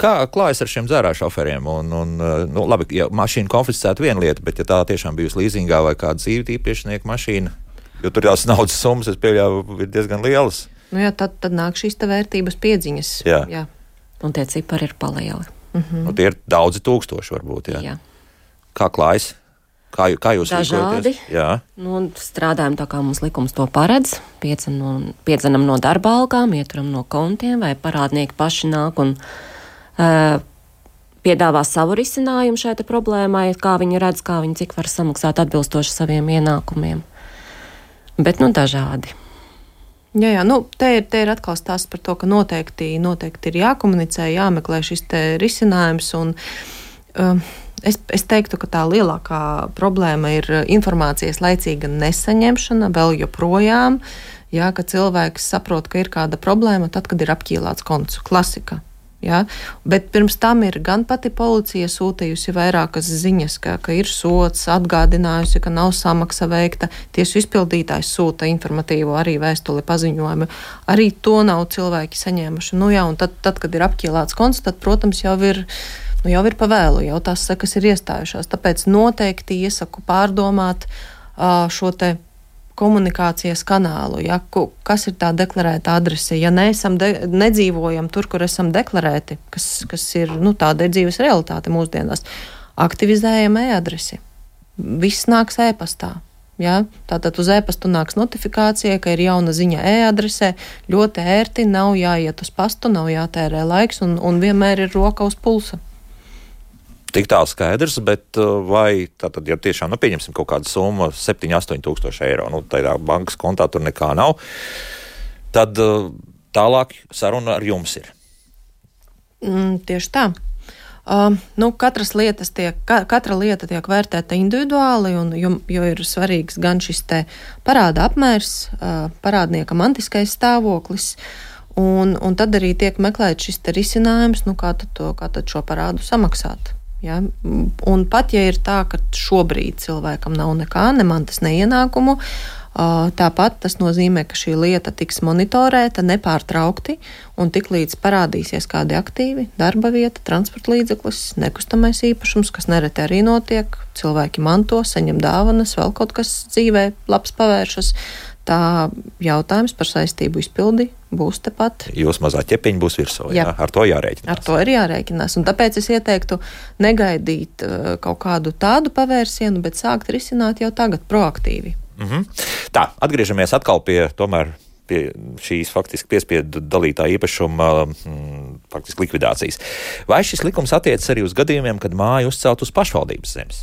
kā klājas ar šiem dzērā šoferiem? Un, un, nu, labi, ja mašīna konfiscēta viena lieta, bet ja tā tiešām bijusi līzingā vai kāda dzīve īpašnieka mašīna, jo tur tās naudas summas, es pieļauju, ir diezgan lielas. Nu jā, tad, tad nāk šīs te vērtības piedziņas. Jā. Jā. Un tie cipari ir palieli. Mhm. Nu, tie ir daudzi tūkstoši varbūt, jā. Jā. Kā klājas? Kā, kā jūs Dažādi. Jā. Nu, strādājam tā, kā mums likums to paredz. Piedzenam, piedzenam no darba algām, ieturam no kontiem, vai parādnieki paši nāk un uh, piedāvā savu risinājumu šai te problēmai, kā viņi redz, kā viņi cik var samaksāt atbilstoši saviem ienākumiem. Bet, nu, dažādi. Jā, jā, nu, te ir, te ir atkal stāsts par to, ka noteikti, noteikti ir jākomunicē, jāmeklē šis te risinājums, un um, es, es teiktu, ka tā lielākā problēma ir informācijas laicīga nesaņemšana vēl joprojām, jā, ka cilvēks saprot, ka ir kāda problēma tad, kad ir apķīlāts konts, klasika. Ja? Bet pirms tam ir gan pati policija sūtījusi vairākas ziņas, ka, ka ir sots, atgādinājusi, ka nav samaksa veikta. Tiesu izpildītājs sūta informatīvo arī vēstuli paziņojumu. Arī to nav cilvēki saņēmuši. Nu, jā, un tad, tad, kad ir apķīlāts konts, tad, protams, jau ir, nu, jau ir pavēlu, jau tās sekas ir iestājušās. Tāpēc noteikti iesaku pārdomāt uh, šo te komunikācijas kanālu, ja, kas ir tā deklarēta adrese. Ja neesam de, nedzīvojam tur, kur esam deklarēti, kas, kas ir, nu, tāda ir dzīves realitāte mūsdienās, aktivizējam e-adresi. Viss nāks e-pastā. Ja? Tātad uz e-pastu nāks notifikācija, ka ir jauna ziņa e-adresē, ļoti ērti, nav jāiet uz pastu, nav jātērē laiks un, un vienmēr ir roka uz pulsa. Tik tālu skaidrs, bet vai tātad, ja tiešām, nu, pieņemsim kaut kādu summu septiņi astoņi tūkstoši eiro, nu, tādā bankas kontā tur nekā nav, tad tālāk saruna ar jums ir. Mm, tieši tā. Uh, nu, katras lietas tiek, ka, katra lieta tiek vērtēta individuāli, un, jo, jo ir svarīgs gan šis te parāda apmērs, uh, parādnieka mantiskais stāvoklis, un, un tad arī tiek meklēt šis te risinājums, nu, kā tad, to, kā tad šo parādu samaksāt. Ja? Un pat, ja ir tā, ka šobrīd cilvēkam nav nekā, ne mantas, ne ienākumu, tāpat tas nozīmē, ka šī lieta tiks monitorēta nepārtraukti, un tiklīdz parādīsies kādi aktīvi, darba vieta, transporta līdzeklis, nekustamais īpašums, kas nereti arī notiek, cilvēki manto, saņem dāvanas, vēl kaut kas dzīvē labs pavēršas, tā jautājums par saistību izpildi būs tepat. Jūs mazā ķepiņa būs virsū, jā. Jā? Ar to jārēķinās. Ar to ir jārēķinās, un tāpēc es ieteiktu negaidīt uh, kaut kādu tādu pavērsienu, bet sākt risināt jau tagad proaktīvi. Mhm. Tā, atgriežamies atkal pie tomēr pie šīs faktiski piespiedu dalītā īpašuma mm, faktiski likvidācijas. Vai šis likums attiecas arī uz gadījumiem, kad māja uzcelt uz pašvaldības zemes?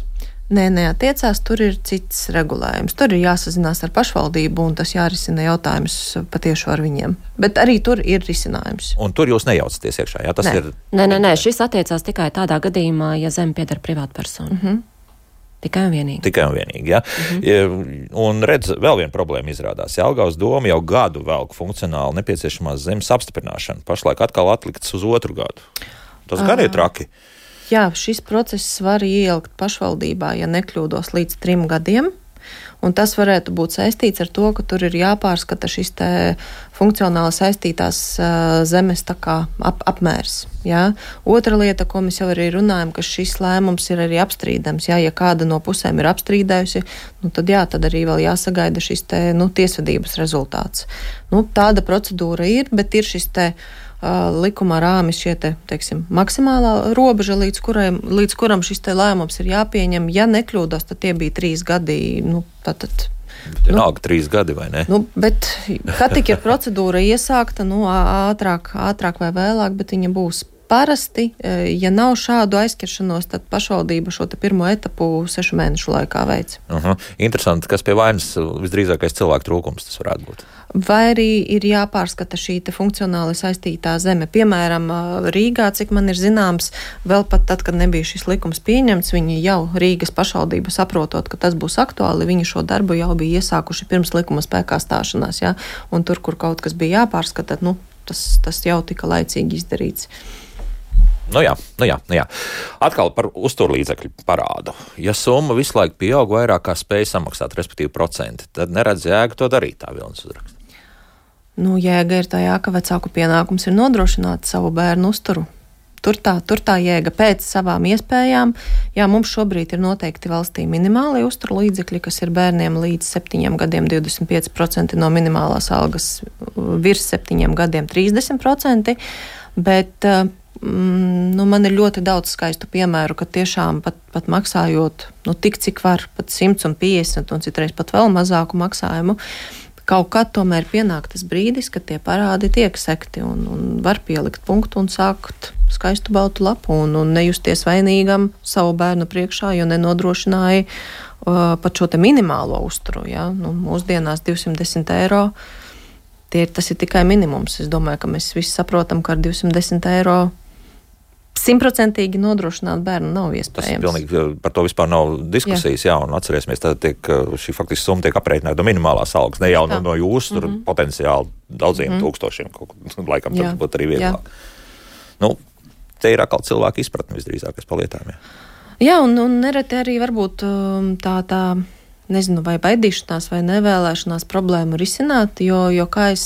Nē, neatiecās, tur ir cits regulējums. Tur ir jāsazinās ar pašvaldību, un tas jārisina jautājums patieši ar viņiem. Bet arī tur ir risinājums. Un tur jūs nejaucaties iekšā, jā? Tas nē. ir... Nē, nē, nē, šis attiecās tikai tādā gadījumā, ja zeme pieder privātpersonu. Mhm. Tikai un vienīgi. Tikai un vienīgi, jā. Mhm. Un redz, vēl viena problēma izrādās. Jelgavas doma jau gadu velk funkcionāli nepieciešamās zemes apstiprināšanu. Pašlaik atkal atlikts uz otru gadu. Tas gan ir traki. Jā, šis process var ielikt pašvaldībā, ja nekļūdos, līdz trim gadiem, un tas varētu būt saistīts ar to, ka tur ir jāpārskata šis te funkcionāli saistītās uh, zemes tā kā ap, apmērs. Jā. Otra lieta, ko mēs jau arī runājam, ka šis lēmums ir arī apstrīdams. Jā, ja kāda no pusēm ir apstrīdējusi, nu tad jā, tad arī vēl jāsagaida šis te, nu, tiesvedības rezultāts. Nu, tāda procedūra ir, bet ir šis te Uh, likumā rāmis šie te, teiksim, maksimālā robeža, līdz, kurai, līdz kuram šis te lēmums ir jāpieņem. Ja nekļūdos, tad tie bija trīs gadi. Nu, tātad, Vienalga nu, trīs gadi, vai ne? Nu, bet, kad tik ir procedūra iesākta, nu, ātrāk, ātrāk vai vēlāk, bet viņa būs. Parasti, ja nav šādu aizķeršanos, tad pašvaldība šo te pirmo etapu sešu mēnešu laikā veic. Uh-huh. Interesanti, kas pie vainas visdrīzākais cilvēku trūkums tas varētu būt. Vai arī ir jāpārskata šī te funkcionāli saistītā zeme. Piemēram, Rīgā, cik man ir zināms, vēl pat tad, kad nebija šis likums pieņemts, viņi jau Rīgas pašvaldība saprotot, ka tas būs aktuāli, viņi šo darbu jau bija iesākuši pirms likuma spēkā stāšanās, jā. Un tur, kur kaut kas bija jāpārskata, nu, tas, tas jau tika laicīgi izdarīts. Nu jā, nu jā, nu jā. Atkal par uzturlīdzekļu parādu. Ja summa visu laiku pieaug vairāk kā spēja samaksāt, respektīvi procenti, tad neredz jēgu to darīt, tā Vilnis uzraksta. Nu, jēga ir tajā, ka vecāku pienākums ir nodrošināt savu bērnu uzturu. Tur tā, tur tā jēga pēc savām iespējām. Jā, mums šobrīd ir noteikti valstī minimālie uzturlīdzekļi, kas ir bērniem līdz septiņiem gadiem divdesmit pieci procenti no minimālās algas, virs septiņiem gadiem trīsdesmit procenti, bet uh, mm, nu, man ir ļoti daudz skaistu piemēru, ka tiešām pat, pat maksājot, nu, tik cik var, pat simts un piecdesmit un citreiz pat vēl mazāku maksājumu, kaut kad tomēr pienāk tas brīdis, kad tie parādi tiek sekti un, un var pielikt punktu un sākt skaistu baltu lapu un, un nejusties vainīgam savu bērnu priekšā, jo nenodrošināja uh, pat šo te minimālo uzturu. Ja? Nu, mūsdienās divsimt desmit eiro, tie, tas ir tikai minimums. Es domāju, ka mēs visi saprotam, ka ar divsimt desmit eiro simtprocentīgi nodrošināt bērnu nav iespējams. Tas pilnīgi par to vispār nav diskusijas, jā, jā un atcerēsimies, tad tiek, šī faktiski summa tiek aprēķināta no minimālās algas, ne jau no, no jūsu, tur mm-hmm. potenciāli daudziem mm-hmm. tūkstošiem, kaut, laikam tad būtu arī vieglāk. Jā. Nu, te ir atkal cilvēku izpratni visdrīzākais pa lietām, jā. Jā, un, un nereti arī varbūt tā, tā, nezinu, vai baidīšanās vai nevēlēšanās problēmu risināt, jo, jo kā es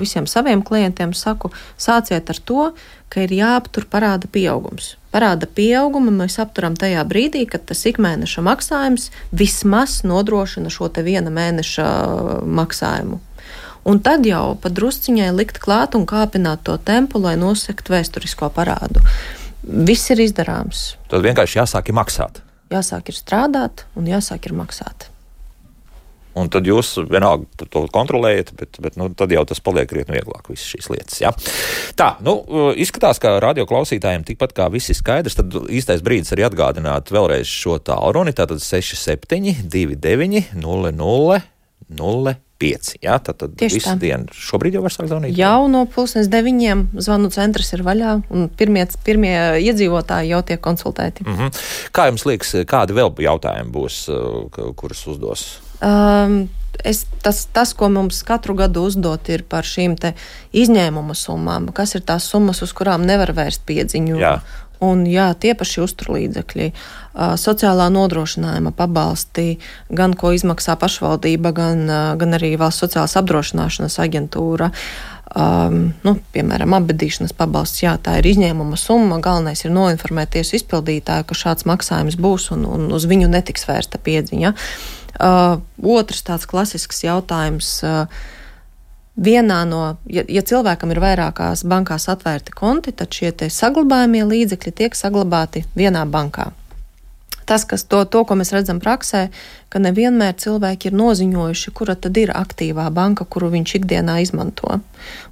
visiem saviem klientiem saku, sāciet ar to, ka ir jāaptur parāda pieaugums. Parāda pieaugumu mēs apturam tajā brīdī, kad tas ikmēneša maksājums vismaz nodrošina šo te viena mēneša maksājumu. Un tad jau pa drusciņai likt klāt un kāpināt to tempu, lai nosektu vēsturisko parādu. Viss ir izdarāms. Tad vienkārši jāsāk ir maksāt. Jāsāk ir strādāt un jāsāk ir maksāt. Un tad jūs vienalga to kontrolējat, bet, bet nu, tad jau tas paliek krietni vieglāk, visas šīs lietas. Ja? Tā, nu, izskatās, ka radio klausītājiem tikpat kā viss ir skaidrs, tad īstais brīdis arī atgādināt vēlreiz šo tālruni, tātad seši septiņi divi deviņi nulle nulle nulle pieci. Ja? Tad, tad visu tā. Dienu šobrīd jau var sākt zvanīt? Jau no pusnes deviņiem zvanu centrs ir vaļā, un pirmie, pirmie iedzīvotāji jau tiek konsultēti. Mm-hmm. Kā jums liekas, kādi vēl jautājumi būs, kurus uzdos? Um, es, tas, tas, ko mums katru gadu uzdot, ir par šīm te izņēmuma summām, kas ir tās summas, uz kurām nevar vērst piedziņu. Jā. Un jā, tie paši uzturlīdzekļi, uh, sociālā nodrošinājuma pabalsti, gan ko izmaksā pašvaldība, gan, uh, gan arī valsts sociālās apdrošināšanas aģentūra. Um, nu, piemēram, apbedīšanas pabalsts, jā, tā ir izņēmuma summa, galvenais ir noinformēt tiesu izpildītāju, ka šāds maksājums būs un, un uz viņu netiks vērsta piedziņa. Uh, otrs tāds klasisks jautājums. Uh, vienā no, ja, ja cilvēkam ir vairākās bankās atvērti konti, tad šie te saglabājumie līdzekļi tiek saglabāti vienā bankā. Tas, kas to, to, ko mēs redzam praksē, ka nevienmēr cilvēki ir noziņojuši, kura tad ir aktīvā banka, kuru viņš ikdienā izmanto.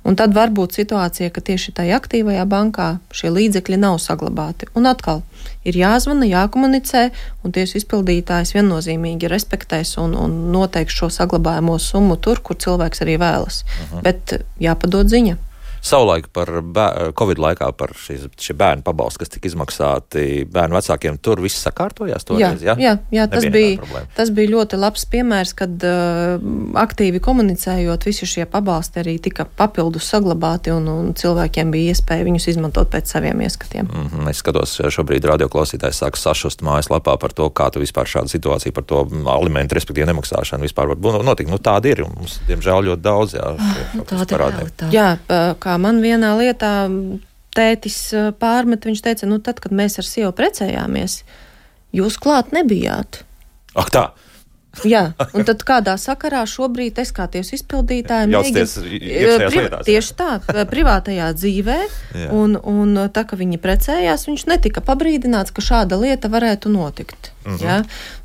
Un tad var būt situācija, ka tieši tajā aktīvajā bankā šie līdzekļi nav saglabāti. Un atkal ir jāzvana, jākomunicē, un tiesu izpildītājs viennozīmīgi respektēs un, un noteiks šo saglabājamo summu tur, kur cilvēks arī vēlas. Uh-huh. Bet jāpadod ziņa. Savulaik par bēr, Covid laikā par šīs, šie bērnu pabalsti, kas tika izmaksāti bērnu vecākiem, tur viss sakārtojās toreiz, jā? Jā, jā, tas bija, tas bija ļoti labs piemērs, kad uh, aktīvi komunicējot, visi šie pabalsti arī tika papildus saglabāti un, un cilvēkiem bija iespēja viņus izmantot pēc saviem ieskatiem. Mm-hmm. Es skatos, šobrīd radioklausītājs sāk sašust mājaslapā par to, kā tu vispār šāda situācija par to alimentu, respektīvi nemaksāšanu vispār var notikt. Nu, tāda ir, un mums, diemžēl, ļoti daudz, jā. Nu, tāda jā, kā man vienā lietā tētis pārmet, viņš teica, nu tad, kad mēs ar sievu precējāmies, jūs klāt nebijāt. Ak tā! Jā, un tad kādā sakarā šobrīd es kā tiesu izpildītāja Jāsties iekšējās lietās. Tieši tā, privātajā dzīvē, un, un tā, ka viņi precējās, viņš netika pabrīdināts, ka šāda lieta varētu notikt. Mm-hmm. Jā,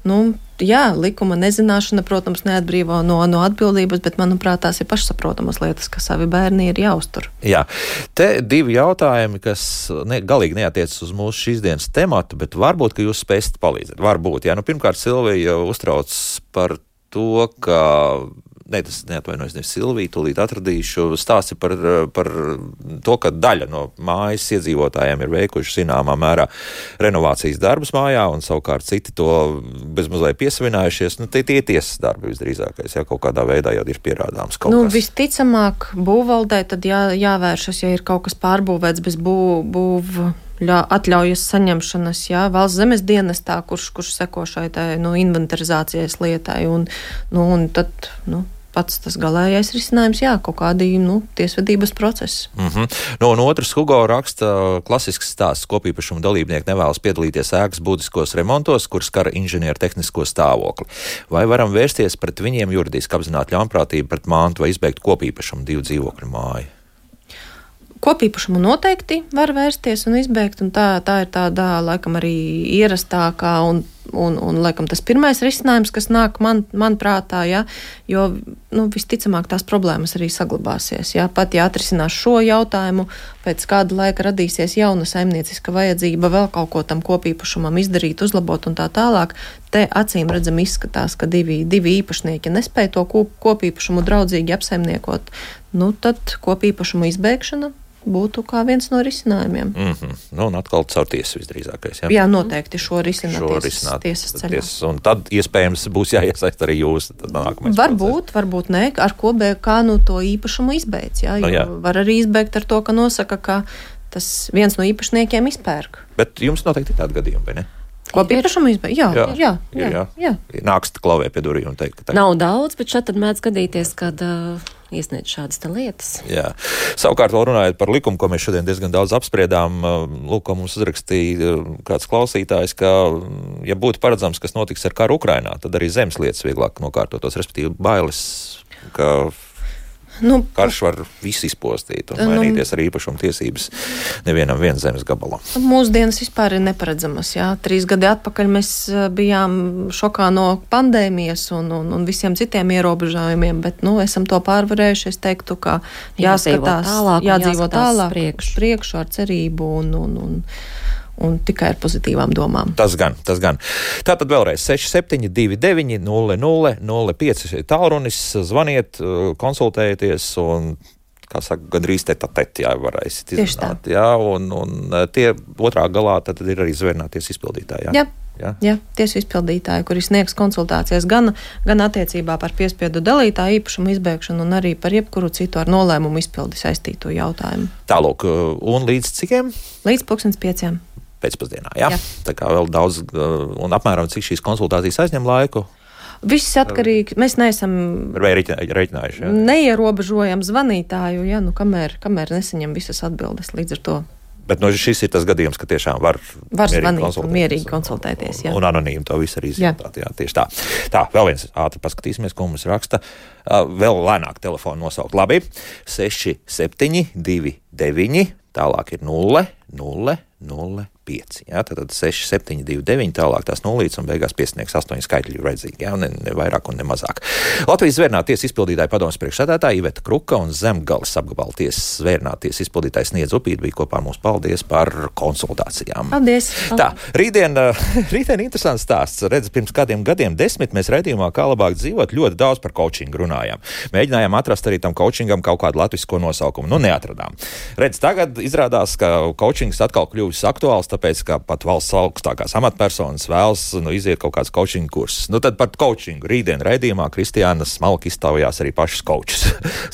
nu, jā, likuma nezināšana, protams, neatbrīvo no, no atbildības, bet, manuprāt, tās ir pašsaprotamas lietas, ka savi bērni ir jāuztur. Jā, te divi jautājumi, kas ne, galīgi neatiecas uz mūsu šīs dienas tematu, bet varbūt, ka jūs spēsit palīdzēt. Varbūt, jā. Nu, pirmkārt, Silvija uztrauc par to, ka ne, tas neatvainojas, nevis Silvija, tūlīt atradīšu, stāsti par, par to, ka daļa no mājas iedzīvotājiem ir veikuši zināmā mērā renovācijas darbus mājā, un savukārt citi to bezmazliet piesavinājušies. Nu, tie tie tiesas darbi visdrīzākais, ja kaut kādā veidā jau ir pierādāms kaut nu, kas. Visticamāk, būvvaldē tad jā, jāvēršas, ja ir kaut kas pārbūvēts bez bū, būv atļaujas saņemšanas, jā, valsts zemes dienestā, kurš, kurš seko šai tā, nu, inventarizācijas lietai, un, nu, un tad, nu, pats tas galējais risinājums, jā, kaut kādi, nu, tiesvedības procesi. Mm-hmm. Nu, un otrs, Hugo raksta klasisks stāsts, kopīpašuma dalībnieki nevēlas piedalīties ēkas būtiskos remontos, kur skara inženieru tehnisko stāvokli. Vai varam vērsties pret viņiem juridiski apzināt ļaunprātību pret mantu vai izbeigt kopīpašumu divu dzīvokļu māju? Kopīpašumu noteikti var vērsties un izbēgt, un tā, tā ir tāda, laikam, arī ierastākā un, un, un laikam, tas pirmais risinājums, kas nāk man, man prātā, ja, jo, nu, visticamāk tās problēmas arī saglabāsies, ja. Pat, ja atrisinās šo jautājumu, pēc kāda laika radīsies jauna saimnieciska vajadzība vēl kaut ko tam kopīpašumam izdarīt, uzlabot un tā tālāk, te acīm redzam izskatās, ka divi, divi īpašnieki nespēja to kopīpašumu draudzīgi apsaimniekot, nu, tad kopīpašumu izbēgšana būtu kā viens no risinājumiem. Mm-hmm. Nu, un atkal caur tiesu visdrīzākais. Ja? Jā, noteikti šo risināt šo tiesas, risināt, tiesas ceļā. Ties, un tad iespējams būs jāiesaist arī jūs. Varbūt, varbūt ne, ar ko bēg, kā nu to īpašumu izbeidz. Jā, no, jā. Var arī izbeigt ar to, ka nosaka, ka tas viens no īpašniekiem izpērk. Bet jums noteikti ir tādi gadījumi, vai ne? Kopīpašumu izbeigt? Jā, jā, jā. jā, jā, jā. Nāks klavē pie durvīm un teikt, ka tā. Nav daudz, bet šeit tad mēdz gadīties, kad uh, iesniedz šādas te lietas. Jā. Savukārt vēl runājot par likumu, ko mēs šodien diezgan daudz apspriedām, lūk, ko mums uzrakstīja kāds klausītājs, ka, ja būtu paredzams, kas notiks ar karu Ukrainā, tad arī zemes lietas vieglāk nokārtotos, respektīvi bailes, ka nu, karš var visu izpostīt un mainīties arī īpašuma tiesības nevienam viens zemes gabalam. Mūsdienas vispār ir neparedzamas. Jā. Trīs gadi atpakaļ mēs bijām šokā no pandēmijas un, un, un visiem citiem ierobežojumiem, bet nu, esam to pārvarējuši. Es teiktu, ka jāskatās, tālāk, jādzīvo tālāk, priekšu. priekšu ar cerību un, un, un un tikai ar pozitīvām domām. Tas gan, tas gan. Tātad vēlreiz seši septiņi divi deviņi nulle nulle nulle pieci tālrunis, zvaniet, konsultējieties un, kā saka, gandrīz tete-a-tete, jā, varēsiet izrunāt. Jā, un, un tie otrā galā tad ir arī zvērnāties izpildītāji. Jā. Jā, jā tiesu izpildītāji, kuri sniegs konsultācijas gan, gan attiecībā par piespiedu dalītāju īpašumu izbēgšanu un arī par jebkuru citu ar nolēmumu izpildi saistīto jautājumu. Tālūk, un līdz cikiem? Līdz pulkstens pieciem. Pēcpusdienā, jā? jā. Tā kā vēl daudz, un apmēram cik šīs konsultācijas aizņem laiku? Viss atkarīgi, mēs neesam reiķinājuši, jā? Neierobežojam zvanītāju, jā, nu kamēr, kamēr nesaņem visas atbildes līdz ar to. Bet no šis ir tas gadījums, ka tiešām var, var mierīgi, zvanīt konsultēties, un mierīgi konsultēties. Jā. Un, un anonīmi to visu arī izjūtāt. Jā. Jā, tieši tā. Tā, vēl viens ātri paskatīsimies, ko mums raksta. Uh, vēl lēnāk telefonu nosaukt. Labi. seši septiņi divi deviņi, tālāk ir nulle nulle nulle pieci. Jā, tad seši septiņi divi deviņi, tālāk tās nulītes un beigās piesniegs astoņi skaitļi redzīgi, jā, ne, ne vairāk un ne mazāk. Latvijas zvērnāta tiesas izpildītāja padomes priekšsēdētāja Iveta Kruka un Zemgales apgabala tiesas zvērnāta tiesas izpildītājs Sniedz Upīte bija kopā ar mums. Paldies par konsultācijām. Paldies. Tā, rītdien, rītdien interesants stāsts. Redz, pirms kādiem gadiem desmit mēs raidījumā Kā labāk dzīvot ļoti daudz par coachingu runājām. Mēģinājām atrast arī tam coachingam kaut kādu latvisko nosaukumu. Nu, neatradām. Redz, tagad izrādās, ka coachings atkal kļuvis aktuāls, tāpēc, ka pat valsts augstākās amatpersonas vēlas nu, iziet kaut kāds coaching kursus. Nu, tad par coachingu rītdien raidījumā Kristiāna smalki iztaujās arī pašas coachus.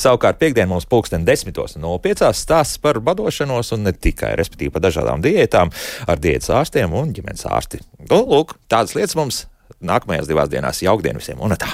Savukārt piekdien mums pulksten desmitos un nulle piecās stāsts par badošanos un ne tikai, respektīvi par dažādām diētām ar diētas ārstiem un ģimenes ārsti. Nu, lūk, tādas lietas mums nākamajās divās dienās. Jaukdien visiem un tā!